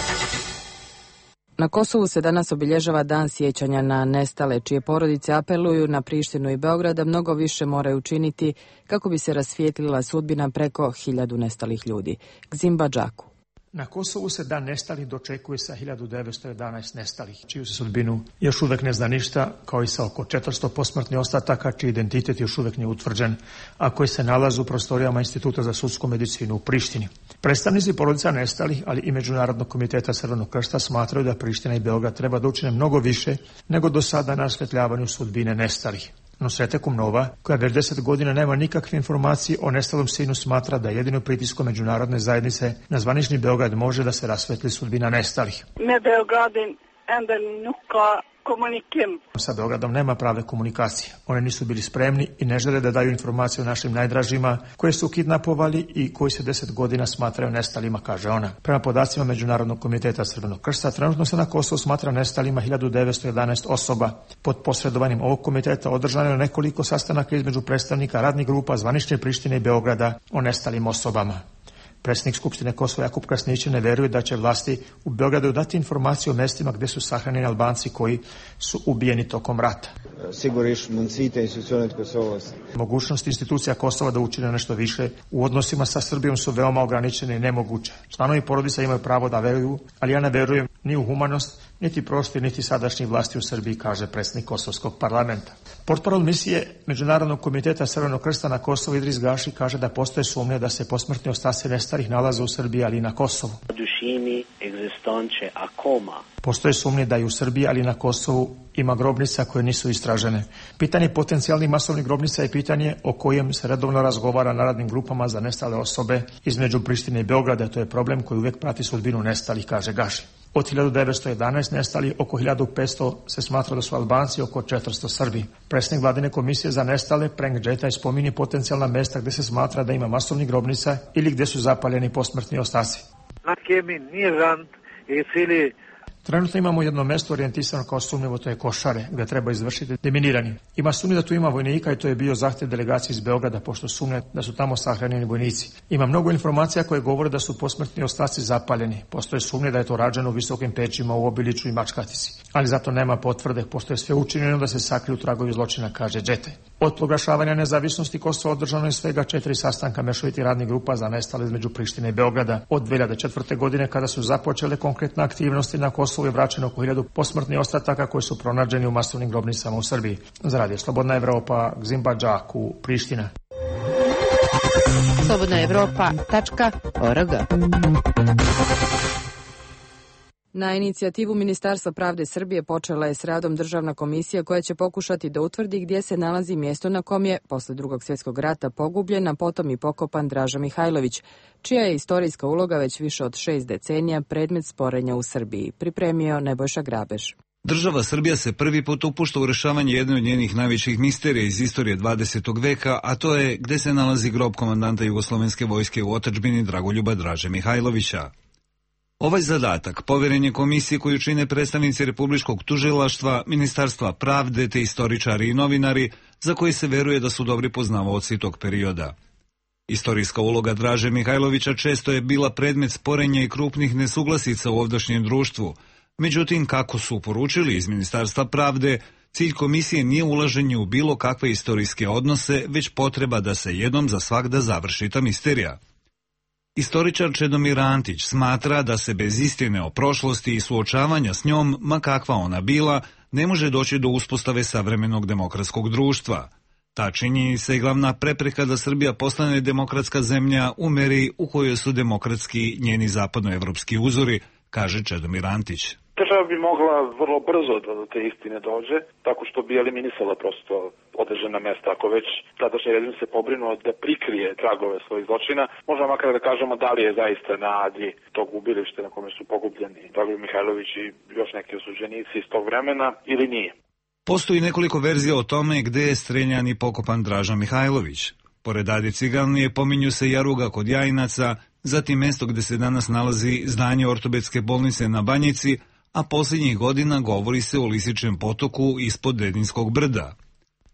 Na Kosovu se danas obilježava Dan sjećanja na nestale, čije porodice apeluju na Prištinu i Beograd da mnogo više moraju učiniti kako bi se rasvijetlila sudbina preko 1000 nestalih ljudi. Gzim Badžaku. Na Kosovu se dan nestalih dočekuje sa 1911 nestalih, čiju se sudbinu još uvek ne zna ništa, kao i sa oko 400 posmrtnih ostataka, čiji identitet još uvek nije utvrđen, a koji se nalaze u prostorijama Instituta za sudsku medicinu u Prištini. Predstavnici porodica nestalih, ali i Međunarodnog komiteta Crvenog krsta smatraju da Priština i Beograd treba da učine mnogo više nego do sada na rasvetljavanju sudbine nestalih. Nusrete Kumnova, koja već 10 godina nema nikakve informacije o nestalom sinu, smatra da jedino pritiskom međunarodne zajednice na zvanični Beograd može da se rasvetli sudbina nestalih. Sa Beogradom nema prave komunikacije. Oni nisu bili spremni i ne žele da daju informacije o našim najdražima koje su kidnapovali i koji se 10 godina smatraju nestalima, kaže ona. Prema podacima Međunarodnog komiteta Crvenog krsta, trenutno se na Kosovu smatra nestalima 1911 osoba. Pod posredovanjem ovog komiteta održano je nekoliko sastanaka između predstavnika radnih grupa zvanične Prištine i Beograda o nestalim osobama. Predsjednik Skupštine Kosova Jakub Krasnić ne veruje da će vlasti u Beogradu dati informacije o mestima gde su sahranjeni Albanci koji su ubijeni tokom rata. Mogućnost institucija Kosova da učine nešto više u odnosima sa Srbijom su veoma ograničene i nemoguće. Članovi porodica imaju pravo da veruju, ali ja ne verujem ni u humanost, niti prošli, niti sadašnji vlasti u Srbiji, kaže predsjednik Kosovskog parlamenta. Portparol misije Međunarodnog komiteta Crvenog krsta na Kosovu Idris Gaši kaže da postoje sumnje da se posmrtni ostaci nestalih nalaze u Srbiji, ali i na Kosovu. Postoje sumnje da i u Srbiji, ali i na Kosovu ima grobnica koje nisu istražene. Pitanje potencijalnih masovnih grobnica je pitanje o kojem se redovno razgovara na radnim grupama za nestale osobe između Prištine i Beograda. To je problem koji uvijek prati sudbinu nestalih, kaže Gaši. Od 1911 nestali oko 1500 se smatra da su Albanci, oko 400 Srbi. Predsjednik vladine komisije za nestale Prenk Džetaj spominje potencijalna mesta gdje se smatra da ima masovnih grobnica ili gdje su zapaljeni posmrtni ostaci. Trenutno imamo jedno mesto orijentisano kao sumnjivo, to je Košare, gdje treba izvršiti deminiranje. Ima sumnje da tu ima vojnika i to je bio zahtjev delegacije iz Beograda, pošto sumnje da su tamo sahranjeni vojnici. Ima mnogo informacija koje govore da su posmrtni ostaci zapaljeni. Postoje sumnje da je to rađeno u visokim pećima u Obiliću i Mačkatici. Ali zato nema potvrde, postoje sve učinjeno da se sakriju tragovi zločina, kaže Džetaj. Od proglašavanja nezavisnosti Kosova održano je svega 4 sastanka mešovitih radnih grupa za nestale između Prištine i Beograda. Od 2004. godine kada su započele konkretne aktivnosti na Kosovu je vraćeno oko 1000 posmrtnih ostataka koji su pronađeni u masovnim grobnicama u Srbiji. Za Radio Slobodna Evropa, Gzimba Džaku, Priština. slobodnaevropa.org. Na inicijativu Ministarstva pravde Srbije počela je s radom državna komisija koja će pokušati da utvrdi gdje se nalazi mjesto na kom je, posle Drugog svjetskog rata, pogubljen, a potom i pokopan Draža Mihajlović, čija je istorijska uloga već više od 6 decenija predmet sporenja u Srbiji. Pripremio Nebojša Grabež. Država Srbija se prvi put upušta u rešavanje jedne od njenih najvećih misterija iz istorije 20. veka, a to je gde se nalazi grob komandanta Jugoslovenske vojske u otadžbini Dragoljuba Draže Mihajlovića. Ovaj zadatak poveren je komisiji koju čine predstavnici Republičkog tužilaštva, Ministarstva pravde te istoričari i novinari, za koji se veruje da su dobri poznavaoci tog perioda. Istorijska uloga Draže Mihajlovića često je bila predmet sporenja i krupnih nesuglasica u ovdašnjem društvu. Međutim, kako su poručili iz Ministarstva pravde, cilj komisije nije ulaženje u bilo kakve istorijske odnose, već potreba da se jednom za svagda završi ta misterija. Istoričar Čedomir Antić smatra da se bez istine o prošlosti i suočavanja s njom, ma kakva ona bila, ne može doći do uspostave savremenog demokratskog društva. Ta činjenica je glavna prepreka da Srbija postane demokratska zemlja u meri u kojoj su demokratski njeni zapadnoevropski uzori, kaže Čedomir Antić. Država bi mogla vrlo brzo da do te istine dođe, tako što bi eliminisala prosto određena mesta. Ako već tadašnji režim se pobrinuo da prikrije tragove svojih zločina, možemo makar da kažemo da li je zaista na Adi tog ubilišta na kome su pogubljeni Dragoljub Mihajlović i još neki osuđenici iz tog vremena ili nije. Postoji nekoliko verzija o tome gde je streljan i pokopan Draža Mihajlović. Pored Adi Ciganlije pominju se Jaruga kod Jajinaca, zatim mesto gde se danas nalazi zdanje ortopedske bolnice na Banjici, a posljednjih godina govori se o Lisičem potoku ispod Dedinskog brda.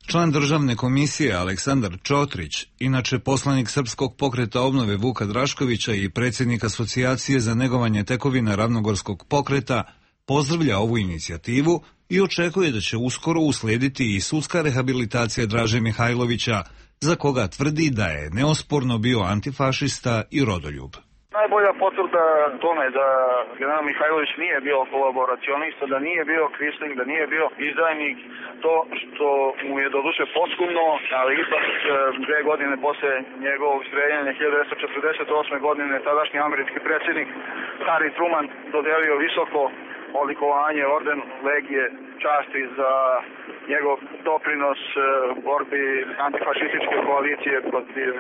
Član državne komisije Aleksandar Čotrić, inače poslanik Srpskog pokreta obnove Vuka Draškovića i predsjednik Asocijacije za negovanje tekovina Ravnogorskog pokreta, pozdravlja ovu inicijativu i očekuje da će uskoro uslijediti i sudska rehabilitacija Draže Mihajlovića, za koga tvrdi da je neosporno bio antifašista i rodoljub. Najbolja potvrda tome da general Mihajlović nije bio kolaboracionista, da nije bio kvisling, da nije bio izdajnik, to što mu je doduše posthumno, ali ipak 2 godine posle njegovog streljanja 1948. godine tadašnji američki predsjednik Harry Truman dodelio visoko odlikovanje, orden Legije časti za njegov doprinos borbi antifašističke koalicije protiv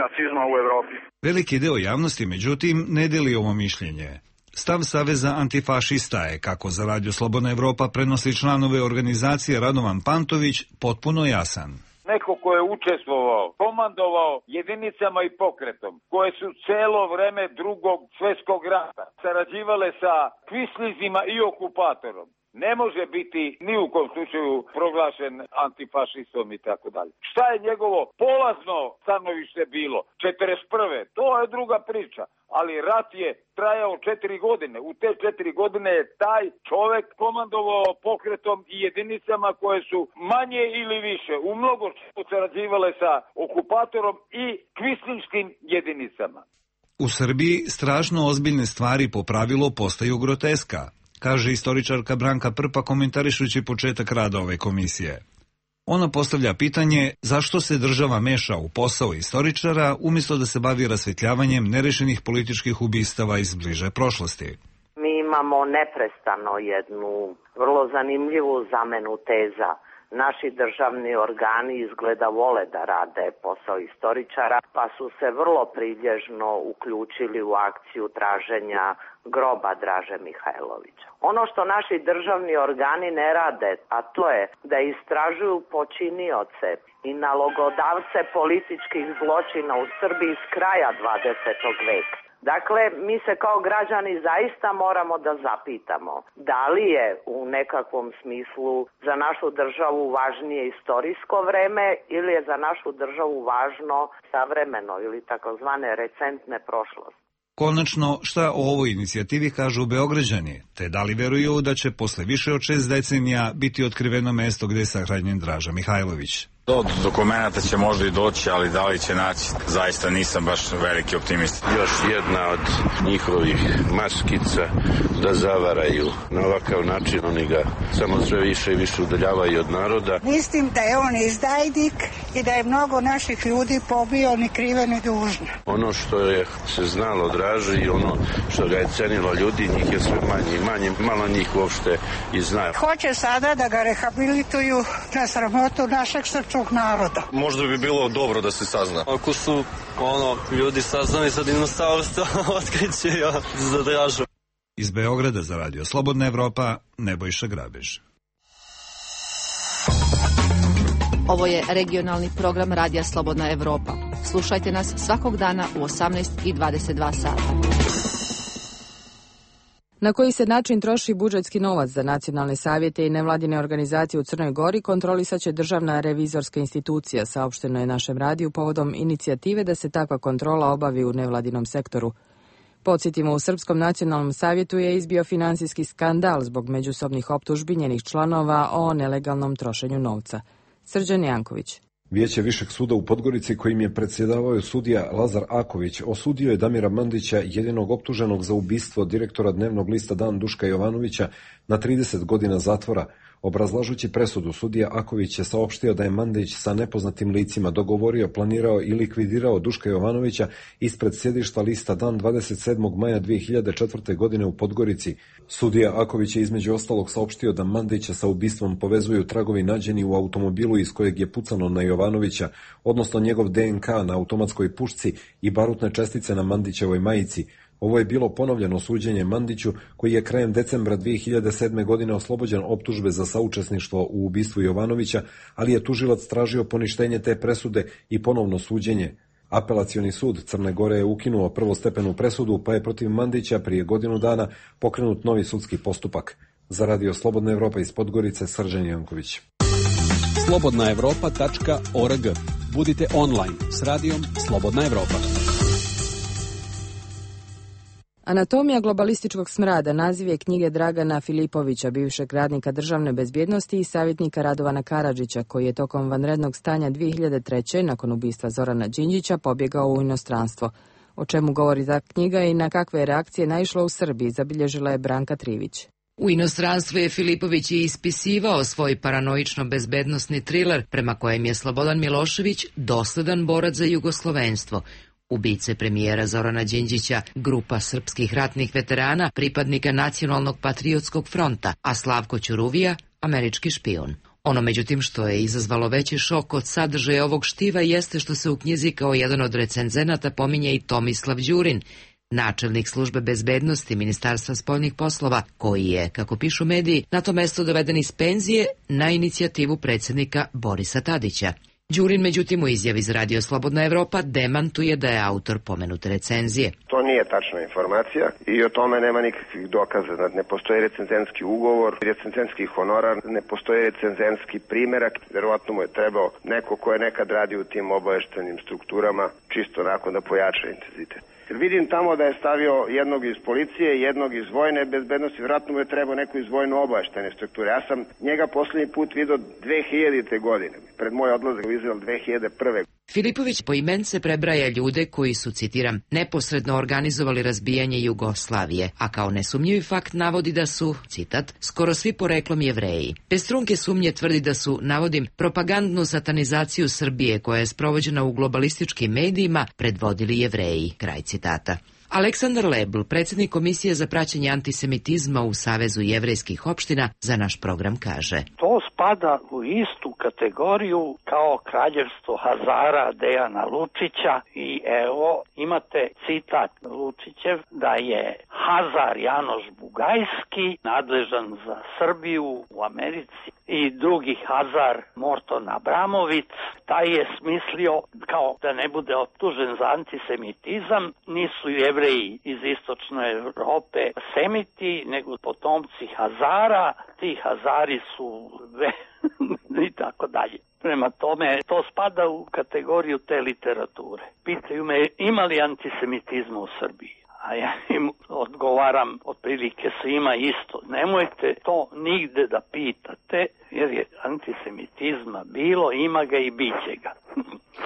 nacizma u Evropi. Veliki deo javnosti, međutim, ne deli ovo mišljenje. Stav Saveza antifašista je, kako za Radio Slobodna Evropa prenosi članove organizacije Radovan Pantović, potpuno jasan. Neko ko je učestvovao, komandovao jedinicama i pokretom, koje su celo vreme Drugog svjetskog rata sarađivale sa kvislizima i okupatorom, ne može biti ni u kom slučaju proglašen antifašistom i tako dalje. Šta je njegovo polazno stanovište bilo? 41. To je druga priča, ali rat je trajao 4 godine. U te 4 godine je taj čovek komandovao pokretom i jedinicama koje su manje ili više u mnogo sarađivale sa okupatorom i kvislinškim jedinicama. U Srbiji strašno ozbiljne stvari po pravilu postaju groteska, kaže istoričarka Branka Prpa komentarišući početak rada ove komisije. Ona postavlja pitanje zašto se država meša u posao istoričara umjesto da se bavi rasvetljavanjem nerešenih političkih ubistava iz bliže prošlosti. Mi imamo neprestano jednu vrlo zanimljivu zamenu teza. Naši državni organi izgleda vole da rade posao istoričara, pa su se vrlo prilježno uključili u akciju traženja groba Draže Mihajlovića. Ono što naši državni organi ne rade, a to je da istražuju počinioce i nalogodavce političkih zločina u Srbiji s kraja 20. veka. Dakle, mi se kao građani zaista moramo da zapitamo da li je u nekakvom smislu za našu državu važnije istorijsko vreme ili je za našu državu važno savremeno ili takozvane recentne prošlosti. Konačno, šta o ovoj inicijativi kažu Beograđani, te da li veruju da će posle više od 6 decenija biti otkriveno mesto gde je sahranjen Draža Mihajlović? Do dokumenta će možda i doći, ali da li će naći, zaista nisam baš veliki optimist. Još jedna od njihovih maskica da zavaraju. Na ovakav način oni ga samo sve više i više udaljavaju od naroda. Mislim da je on izdajnik i da je mnogo naših ljudi pobio ni krive ni dužne. Ono što je se znalo Draži i ono što ga je cenilo ljudi, njih je sve manje i manje, malo njih uopšte i znaju. Hoće sada da ga rehabilituju na sramotu našeg srpskog naroda. Možda bi bilo dobro da se sazna. Ako su ljudi saznali za dinosaurstva, otkriće za Dražu. Iz Beograda za Radio Slobodna Evropa, Nebojša Grabež. Ovo je regionalni program Radija Slobodna Evropa. Slušajte nas svakog dana u 18:22 sata. Na koji se način troši budžetski novac za nacionalne savjete i nevladine organizacije u Crnoj Gori kontrolisat će Državna revizorska institucija, saopšteno je našem radiju povodom inicijative da se takva kontrola obavi u nevladinom sektoru. Podsjetimo, u Srpskom nacionalnom savjetu je izbio finansijski skandal zbog međusobnih optužbi njenih članova o nelegalnom trošenju novca. Srđan Janković. Vijeće Višeg suda u Podgorici, kojim je predsjedavao sudija Lazar Aković, osudio je Damira Mandića, jedinog optuženog za ubistvo direktora dnevnog lista Dan Duška Jovanovića, na 30 godina zatvora. Obrazlažući presudu, sudija Aković je saopštio da je Mandić sa nepoznatim licima dogovorio, planirao i likvidirao Duška Jovanovića ispred sjedišta lista Dan 27. maja 2004. godine u Podgorici. Sudija Aković je između ostalog saopštio da Mandića sa ubistvom povezuju tragovi nađeni u automobilu iz kojeg je pucano na Jovanovića, odnosno njegov DNK na automatskoj pušci i barutne čestice na Mandićevoj majici. Ovo je bilo ponovljeno suđenje Mandiću, koji je krajem decembra 2007. godine oslobođen optužbe za saučesništvo u ubistvu Jovanovića, ali je tužilac tražio poništenje te presude i ponovno suđenje. Apelacioni sud Crne Gore je ukinuo prvostepenu presudu, pa je protiv Mandića prije godinu dana pokrenut novi sudski postupak. Za Radio Slobodna Evropa iz Podgorice, Srđan Janković. slobodnaevropa.org. Budite online s radijom Slobodna Evropa. Anatomija globalističkog smrada naziv je knjige Dragana Filipovića, bivšeg radnika državne bezbjednosti i savjetnika Radovana Karadžića, koji je tokom vanrednog stanja 2003. nakon ubistva Zorana Đinđića pobjegao u inostranstvo. O čemu govori ta knjiga i na kakve reakcije naišlo u Srbiji, zabilježila je Branka Trivić. U inostranstvu je Filipović i ispisivao svoj paranoično-bezbednosni triler prema kojem je Slobodan Milošević dosledan borac za jugoslovenstvo. Ubice premijera Zorana Đinđića, grupa srpskih ratnih veterana, pripadnika Nacionalnog patriotskog fronta, a Slavko Ćuruvija, američki špijun. Ono međutim što je izazvalo veći šok od sadržaja ovog štiva jeste što se u knjizi kao jedan od recenzenata pominje i Tomislav Đurin, načelnik službe bezbednosti Ministarstva spoljnih poslova, koji je, kako pišu mediji, na to mesto doveden iz penzije na inicijativu predsjednika Borisa Tadića. Đurin, međutim, u izjavi za Radio Slobodna Evropa demantuje da je autor pomenute recenzije. To nije tačna informacija i o tome nema nikakvih dokaza. Ne postoji recenzentski ugovor, recenzentski honorar, ne postoji recenzentski primerak. Verovatno mu je trebao neko ko je nekad radio u tim obaveštenim strukturama, čisto nakon da pojača intenzitet. Vidim tamo da je stavio jednog iz policije, jednog iz vojne bezbednosti, vjerojatno mu je trebao neko iz vojno-obaveštene strukture. Ja sam njega posljednji put vidio 2000. godine, pred moj odlazak u Izrael 2001. Filipović poimence prebraja ljude koji su, citiram, neposredno organizovali razbijanje Jugoslavije, a kao nesumnjivi fakt navodi da su, citat, skoro svi poreklom Jevreji. Bez trunke sumnje tvrdi da su, navodim, propagandnu satanizaciju Srbije koja je sprovođena u globalističkim medijima predvodili Jevreji, kraj citata. Aleksandar Lebl, predsjednik Komisije za praćenje antisemitizma u Savezu jevrejskih opština, za naš program kaže: To spada u istu kategoriju kao kraljevstvo Hazara Dejana Lučića i evo imate citat Lučićev da je Hazar Janoš Bugajski nadležan za Srbiju u Americi i drugi Hazar Morton Abramović. Taj je smislio kao da ne bude optužen za antisemitizam, nisu Jevreji iz istočne Evrope semiti, nego potomci Hazara, ti Hazari su i tako dalje. Prema tome, to spada u kategoriju te literature. Pitaju me, ima li antisemitizma u Srbiji? A ja im odgovaram otprilike svima isto. Nemojte to nigde da pitate, jer je antisemitizma bilo, ima ga i bit će ga.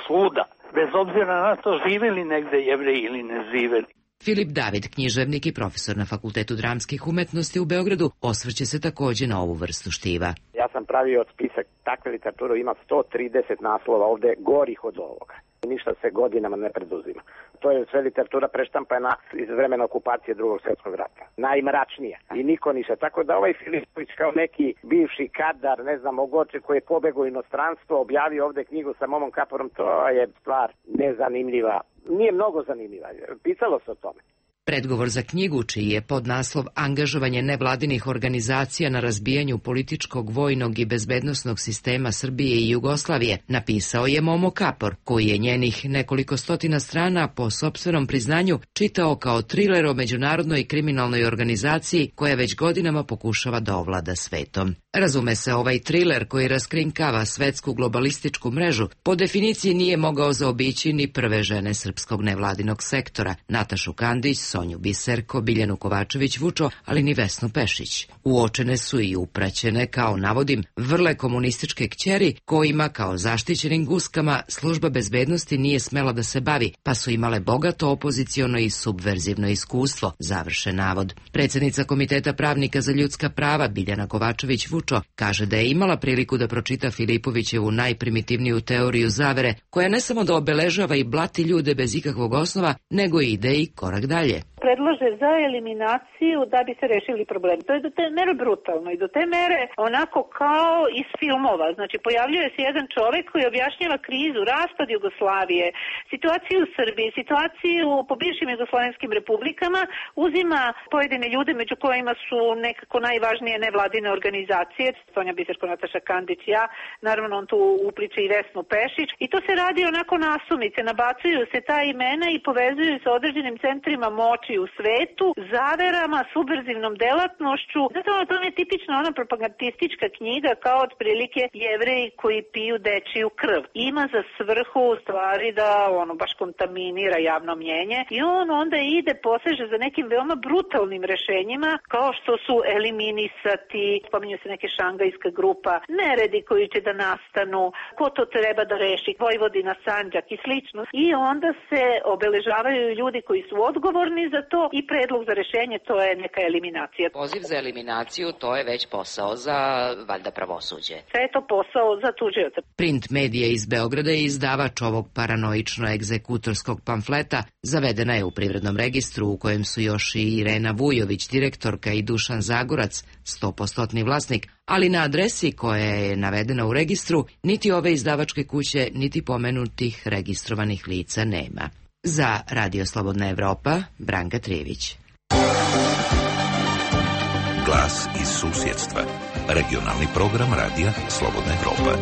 Svuda. Bez obzira na to živeli negde Jevreji ili ne živeli. Filip David, književnik i profesor na Fakultetu dramskih umetnosti u Beogradu, osvrće se također na ovu vrstu štiva. Ja sam pravio spisak takve literature, ima 130 naslova ovde gorih od ovoga. Ništa se godinama ne preduzima. To je sve literatura preštampana iz vremena okupacije Drugog svjetskog rata. Najmračnija. I niko ništa. Tako da ovaj Filipović kao neki bivši kadar, ne znam, Ogoče koji je pobegao u inostranstvo, objavio ovde knjigu sa Momom Kaporom, to je stvar nezanimljiva. Nije mnogo zanimljiva. Pisalo se o tome. Predgovor za knjigu, čiji je podnaslov Angažovanje nevladinih organizacija na razbijanju političkog, vojnog i bezbednosnog sistema Srbije i Jugoslavije, napisao je Momo Kapor, koji je njenih nekoliko stotina strana po sopstvenom priznanju čitao kao triler o međunarodnoj kriminalnoj organizaciji koja već godinama pokušava da ovlada svetom. Razume se, ovaj triler koji raskrinkava svetsku globalističku mrežu po definiciji nije mogao zaobići ni prve žene srpskog nevladinog sektora, Natašu Kandić, Sonju Biserko, Biljanu Kovačević Vučo, ali ni Vesnu Pešić. Uočene su i upraćene, kao navodim, vrle komunističke kćeri kojima, kao zaštićenim guskama, služba bezbednosti nije smela da se bavi, pa su imale bogato opoziciono i subverzivno iskustvo, završen navod. Predsjednica Komiteta pravnika za ljudska prava Biljana Kovačević Vučo kaže da je imala priliku da pročita Filipovićevu najprimitivniju teoriju zavere, koja ne samo da obeležava i blati ljude bez ikakvog osnova, nego i ide i korak dalje. Predlože za eliminaciju da bi se rešili problemi. To je do te mere brutalno i do te mere onako kao iz filmova. Znači, pojavljuje se jedan čovjek koji objašnjava krizu, raspad Jugoslavije, situaciju u Srbiji, situaciju po bivšim jugoslavenskim republikama, uzima pojedine ljude među kojima su nekako najvažnije nevladine organizacije, Sonja Biserko, Nataša Kandić, ja, naravno on tu upliče i Vesnu Pešić, i to se radi onako nasumice, nabacuju se ta imena i povezuju se određenim centrima moći u svetu, zaverama, subverzivnom delatnošću. Zato to je tipična ona propagandistička knjiga kao otprilike Jevreji koji piju dečiju krv. Ima za svrhu u stvari da ono baš kontaminira javno mnjenje i on onda ide, poseže za nekim veoma brutalnim rešenjima kao što su eliminisati, spominju se neke šangajska grupa, neredi koji će da nastanu, ko to treba da reši, Vojvodina, Sandžak i slično. I onda se obeležavaju ljudi koji su odgovorni za to i predlog za rešenje, to je neka eliminacija. Poziv za eliminaciju, to je već posao za, valjda, pravosuđe. Sve je to posao za tužioca. Print medija iz Beograda je izdavač ovog paranoično-egzekutorskog pamfleta. Zavedena je u privrednom registru u kojem su još i Irena Vujović, direktorka, i Dušan Zagorac, 100% vlasnik, ali na adresi koja je navedena u registru niti ove izdavačke kuće, niti pomenutih registrovanih lica nema. Za Radio Slobodna Evropa, Branka Trijević. Glas iz susjedstva. Regionalni program Radija Slobodna Evropa.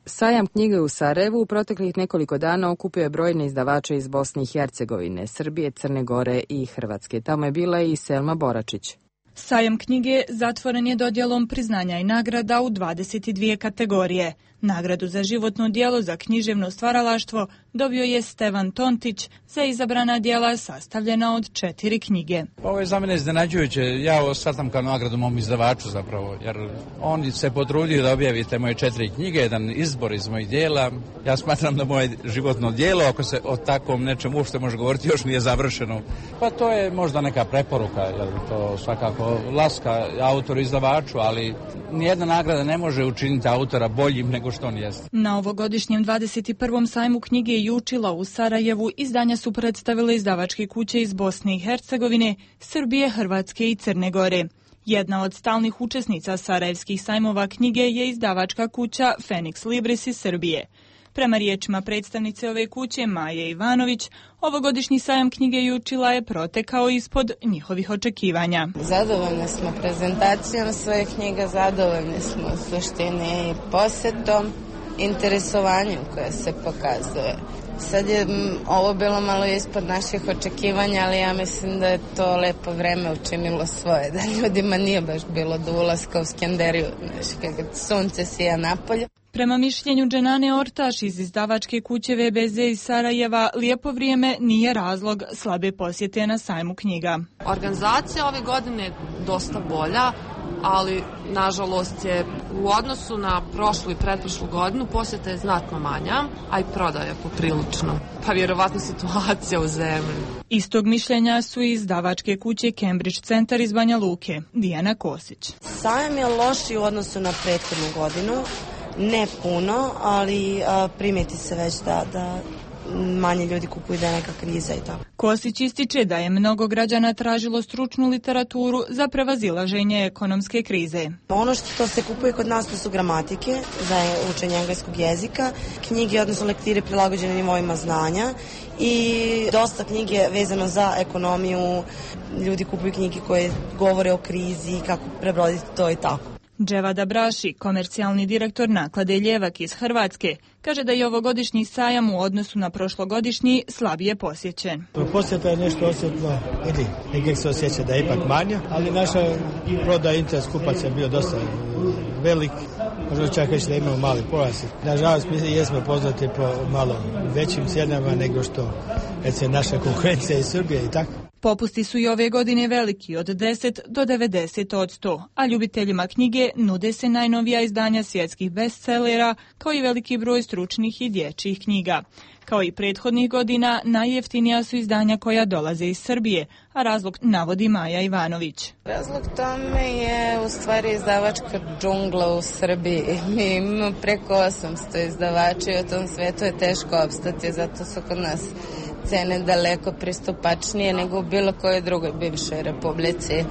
Sajam knjige u Sarajevu u proteklih nekoliko dana okupio je brojne izdavače iz Bosne i Hercegovine, Srbije, Crne Gore i Hrvatske. Tamo je bila i Selma Boračić. Sajam knjige zatvoren je dodjelom priznanja i nagrada u 22 kategorije. Nagradu za životno djelo za književno stvaralaštvo dobio je Stevan Tontić za izabrana djela sastavljena od 4 knjige. Ovo je za mene iznenađujuće. Ja ovo shvatam kao nagradu mom izdavaču zapravo, jer on se potrudio da objavite moje 4 knjige, jedan izbor iz mojih djela. Ja smatram da moje životno djelo, ako se o takvom nečem uopšte može govoriti, još nije završeno. Pa to je možda neka preporuka, jer to svakako laska autoru izdavaču, ali nijedna nagrada ne može učiniti autora boljim nego što on jest. Na ovogodišnjem 21. sajmu knjige Jučila u Sarajevu izdanja su predstavile izdavačke kuće iz Bosne i Hercegovine, Srbije, Hrvatske i Crne Gore. Jedna od stalnih učesnica sarajevskih sajmova knjige je izdavačka kuća Phoenix Libris iz Srbije. Prema riječima predstavnice ove kuće, Maje Ivanović, ovogodišnji sajam knjige Jučila je protekao ispod njihovih očekivanja. Zadovoljni smo prezentacijom svoje knjiga, zadovoljni smo u suštini posjetom, interesovanjem koje se pokazuje. Sad je ovo bilo malo ispod naših očekivanja, ali ja mislim da je to lepo vreme učinilo svoje, da ljudima nije baš bilo do ulaska u Skenderiju, kad sunce sija napolje. Prema mišljenju Dženane Ortaš iz izdavačke kuće VBZ iz Sarajeva, lijepo vrijeme nije razlog slabe posjete na sajmu knjiga. Organizacija ove godine je dosta bolja, ali nažalost je u odnosu na prošlu i pretprošlu godinu posjeta je znatno manja, a i prodaja poprilično. Pa vjerovatno situacija u zemlji. Istog mišljenja su i izdavačke kuće Cambridge Centar iz Banja Luke, Dijana Kosić. Sajam je lošiji u odnosu na prethodnu godinu. Ne puno, ali primeti se već da manje ljudi kupuju, da je neka kriza i tako. Kosić ističe da je mnogo građana tražilo stručnu literaturu za prevazilaženje ekonomske krize. Ono što se kupuje kod nas to su gramatike za učenje engleskog jezika, knjige, odnosno lektire prilagođene nivoima znanja i dosta knjige vezano za ekonomiju. Ljudi kupuju knjige koje govore o krizi, kako prebroditi to i tako. Dževada Braši, komercijalni direktor naklade Ljevak iz Hrvatske, kaže da je ovogodišnji sajam u odnosu na prošlogodišnji slabije posjećen. Posjeta je nešto osjetno, negdje se osjeća da je ipak manja, ali naša prodaja interes kupaca je bio dosta velik, možda čak reći da imamo mali porast. Nažalost, mi jesmo poznati po malo većim cijenama nego što recimo naša konkurencija iz Srbije i tako. Popusti su i ove godine veliki, od 10 do 90%, a ljubiteljima knjige nude se najnovija izdanja svjetskih bestsellera, kao i veliki broj stručnih i dječjih knjiga. Kao i prethodnih godina, najjeftinija su izdanja koja dolaze iz Srbije, a razlog navodi Maja Ivanović. Razlog tome je u stvari izdavačka džungla u Srbiji. Mi imamo preko 800 izdavača i u tom svetu je teško opstati, zato su kod nas cene daleko pristupačnije nego u bilo kojoj drugoj bivšoj republici.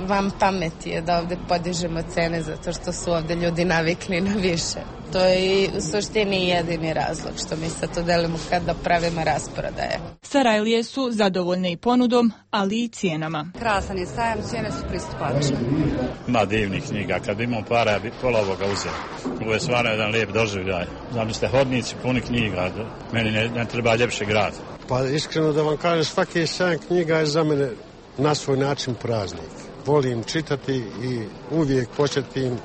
Vam pameti je da ovdje podižemo cene zato što su ovdje ljudi navikli na više. To je u suštini jedini razlog što mi sad to delimo kada pravimo rasprodaje. Sarajlije su zadovoljne i ponudom, ali i cijenama. Krasan je sajam, cijene su pristupačne. Ima divnih knjiga, kad bi imao para, ja bi pola ovoga uzeo. Ovo je stvarno jedan lijep doživljaj. Zamislite, hodnici puni knjiga, meni ne treba ljepši grad. Pa iskreno da vam kažem, svaki sajam knjiga je za mene na svoj način praznik. Volim čitati i uvijek posjetim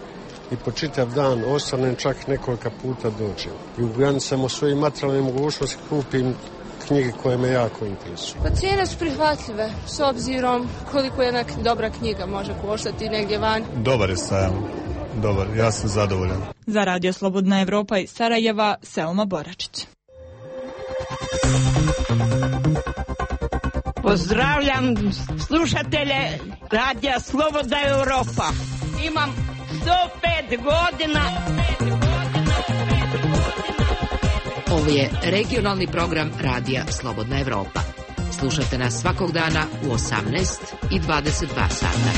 i po čitav dan ostanem, čak nekoliko puta dođem. I u granicama svojih materijalne mogućnosti kupim knjige koje me jako interesuju. Pa cijene su prihvatljive s obzirom koliko jedna dobra knjiga može koštati negdje van. Dobar je sajam, dobar, ja sam zadovoljan. Za Radio Slobodna Evropa iz Sarajeva, Selma Boračić. Pozdravljam slušatelje Radija Slobodna Evropa. Imam 105 godina. Ovo je regionalni program Radija Slobodna Evropa. Slušajte nas svakog dana u 18 i 22 sata.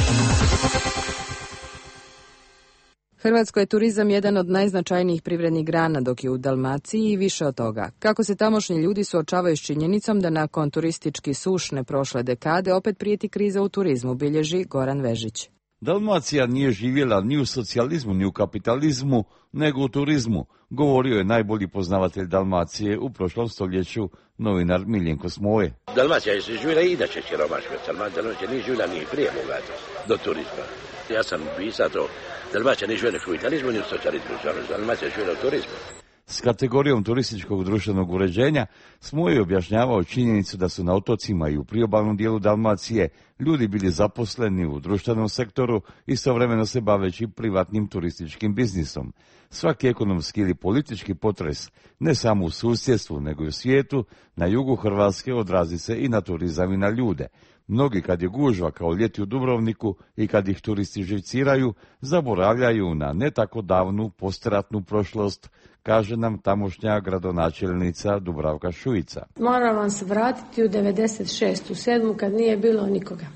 Hrvatskoj je turizam jedan od najznačajnijih privrednih grana, dok je u Dalmaciji i više od toga. Kako se tamošnji ljudi suočavaju s činjenicom da nakon turistički sušne prošle dekade opet prijeti kriza u turizmu, bilježi Goran Vežić. Dalmacija nije živjela ni u socijalizmu, ni u kapitalizmu, nego u turizmu, govorio je najbolji poznavatelj Dalmacije u prošlom stoljeću, novinar Miljenko Smoje. Dalmacija je živjela i inače siromašna. Dalmacija nije živjela ni prije bogata do turizma. Ja sam pisao to. Dalmacija nije živjela ni u kapitalizmu, ni u socijalizmu. Dalmacija je živjela u turizmu. S kategorijom turističkog društvenog uređenja Smoje je objašnjavao činjenicu da su na otocima i u priobalnom dijelu Dalmacije ljudi bili zaposleni u društvenom sektoru, istovremeno se baveći privatnim turističkim biznisom. Svaki ekonomski ili politički potres, ne samo u susjedstvu nego i u svijetu, na jugu Hrvatske odrazi se i na turizam i na ljude. Mnogi kad je gužva kao ljeti u Dubrovniku i kad ih turisti živciraju, zaboravljaju na ne tako davnu postratnu prošlost, kaže nam tamošnja gradonačelnica Dubravka Šuica. Moram vam se vratiti u 96. u 7. kad nije bilo nikoga.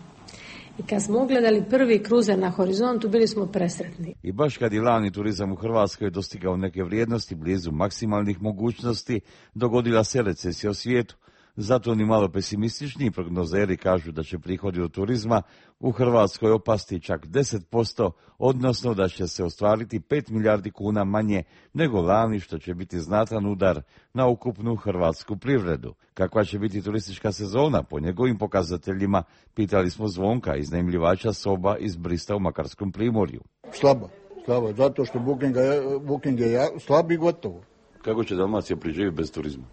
I kad smo ugledali prvi kruzer na horizontu, bili smo presretni. I baš kad je lani turizam u Hrvatskoj dostigao neke vrijednosti blizu maksimalnih mogućnosti, dogodila se recesija u svijetu. Zato ni malo pesimistični prognozeri kažu da će prihodi od turizma u Hrvatskoj opasti čak 10%, odnosno da će se ostvariti 5 milijardi kuna manje nego lani, što će biti znatan udar na ukupnu hrvatsku privredu. Kakva će biti turistička sezona po njegovim pokazateljima, pitali smo Zvonka, iznajmljivača soba iz Brista u Makarskom primorju. Slabo, zato što booking je slab i gotovo. Kako će Dalmacija preživjeti bez turizma?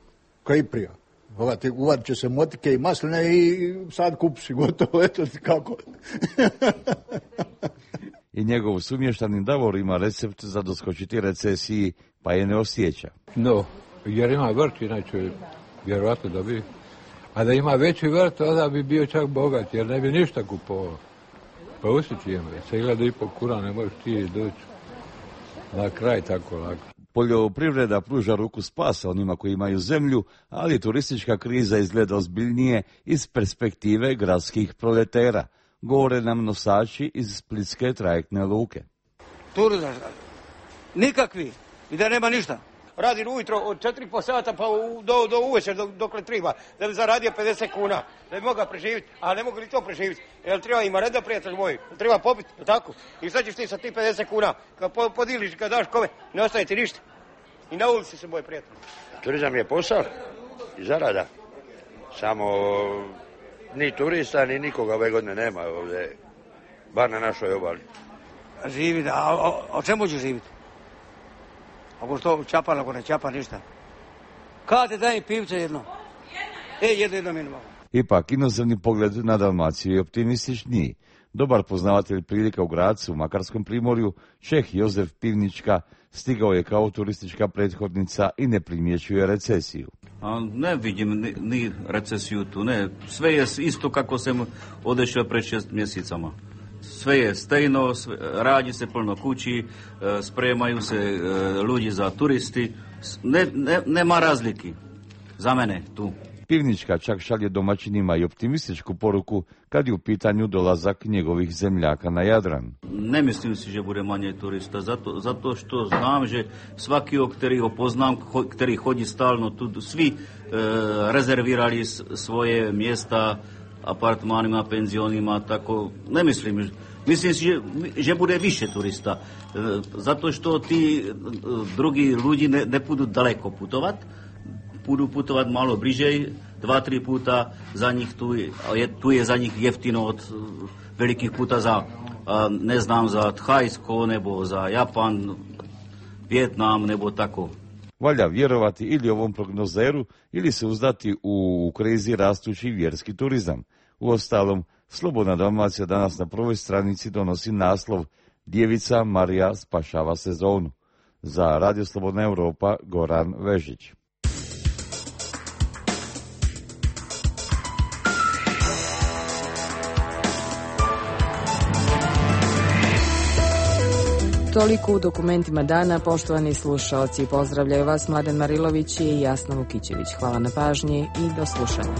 Kaj prija? Uvad će se motike i masline i sad kupiš gotovo, eto ti kako. I njegov sumještanin Davor ima recept za doskočiti recesiji, pa je ne osjeća. No, jer ima vrt, inače vjerovatno da bi. A da ima veći vrt, onda bi bio čak bogat, jer ne bi ništa kupovao. Pa usjeći ima, se gleda i po kura, ne možeš ti doći na kraj tako lako. Poljoprivreda pruža ruku spasa onima koji imaju zemlju, ali turistička kriza izgleda ozbiljnije iz perspektive gradskih proletera, govore nam nosači iz splitske trajektne luke. Turizam, nikakvi, i da nema ništa. Radim ujutro od 4,5 sata pa do uvečer dokle treba, da bi zaradio 50 kuna, da bi mogao preživjeti, a ne mogu li to preživjeti, jer treba ima reda, prijatelj moj, treba popiti, tako, i sad ćeš ti sa ti 50 kuna, kad podiliš, kad daš kome, ne ostaje ti ništa, i na ulici se moj prijatelj. Turizam je posao i zarada, samo ni turista, ni nikoga ove godine nema ovdje, bar na našoj obali. Živi, a o čemu ću živjeti? Ako što čapa, ako ne čapa, ništa. Kada te dajem pivce jedno? Jedno minimum. Ipak, inozemni pogled na Dalmaciju je optimističniji. Dobar poznavatelj prilika u Gracu, u Makarskom primorju, Čeh Jozef Pivnička, stigao je kao turistička prethodnica i ne primjećuje recesiju. Ne vidim ni recesiju tu, ne. Sve je isto kako sam odešao pred 6 mjesecama. Sve je stejno, radi se puno kući, spremaju se ljudi za turisti, nema razlike za mene tu. Pivnička čak šalje domaćinima i optimističku poruku kad je u pitanju dolazak njegovih zemljaka na Jadran. Ne mislim si, že bude manje turista, zato što znam, že svaki který ho poznam, který hodí stalno tu, svi rezervirali svoje mjesta apartmanima, penzionima, tako ne mislim. Mislim si, že bude više turista, zato što ti drugi ljudi ne budu daleko putovat, budu putovat malo bliže, 2-3 puta za njih tu je za njih jeftino od velikih puta za, ne znam, za Thajsko, nebo za Japan, Vjetnam, nebo tako. Valja vjerovati ili ovom prognozeru ili se uzdati u krizi rastući vjerski turizam. Uostalom, Slobodna Dalmacija danas na prvoj stranici donosi naslov Djevica Marija spašava sezonu. Za Radio Slobodna Europa, Goran Vežić. Toliko u dokumentima dana, poštovani slušaoci. Pozdravljaju vas Mladen Marilović i Jasna Vukićević. Hvala na pažnji i do slušanja.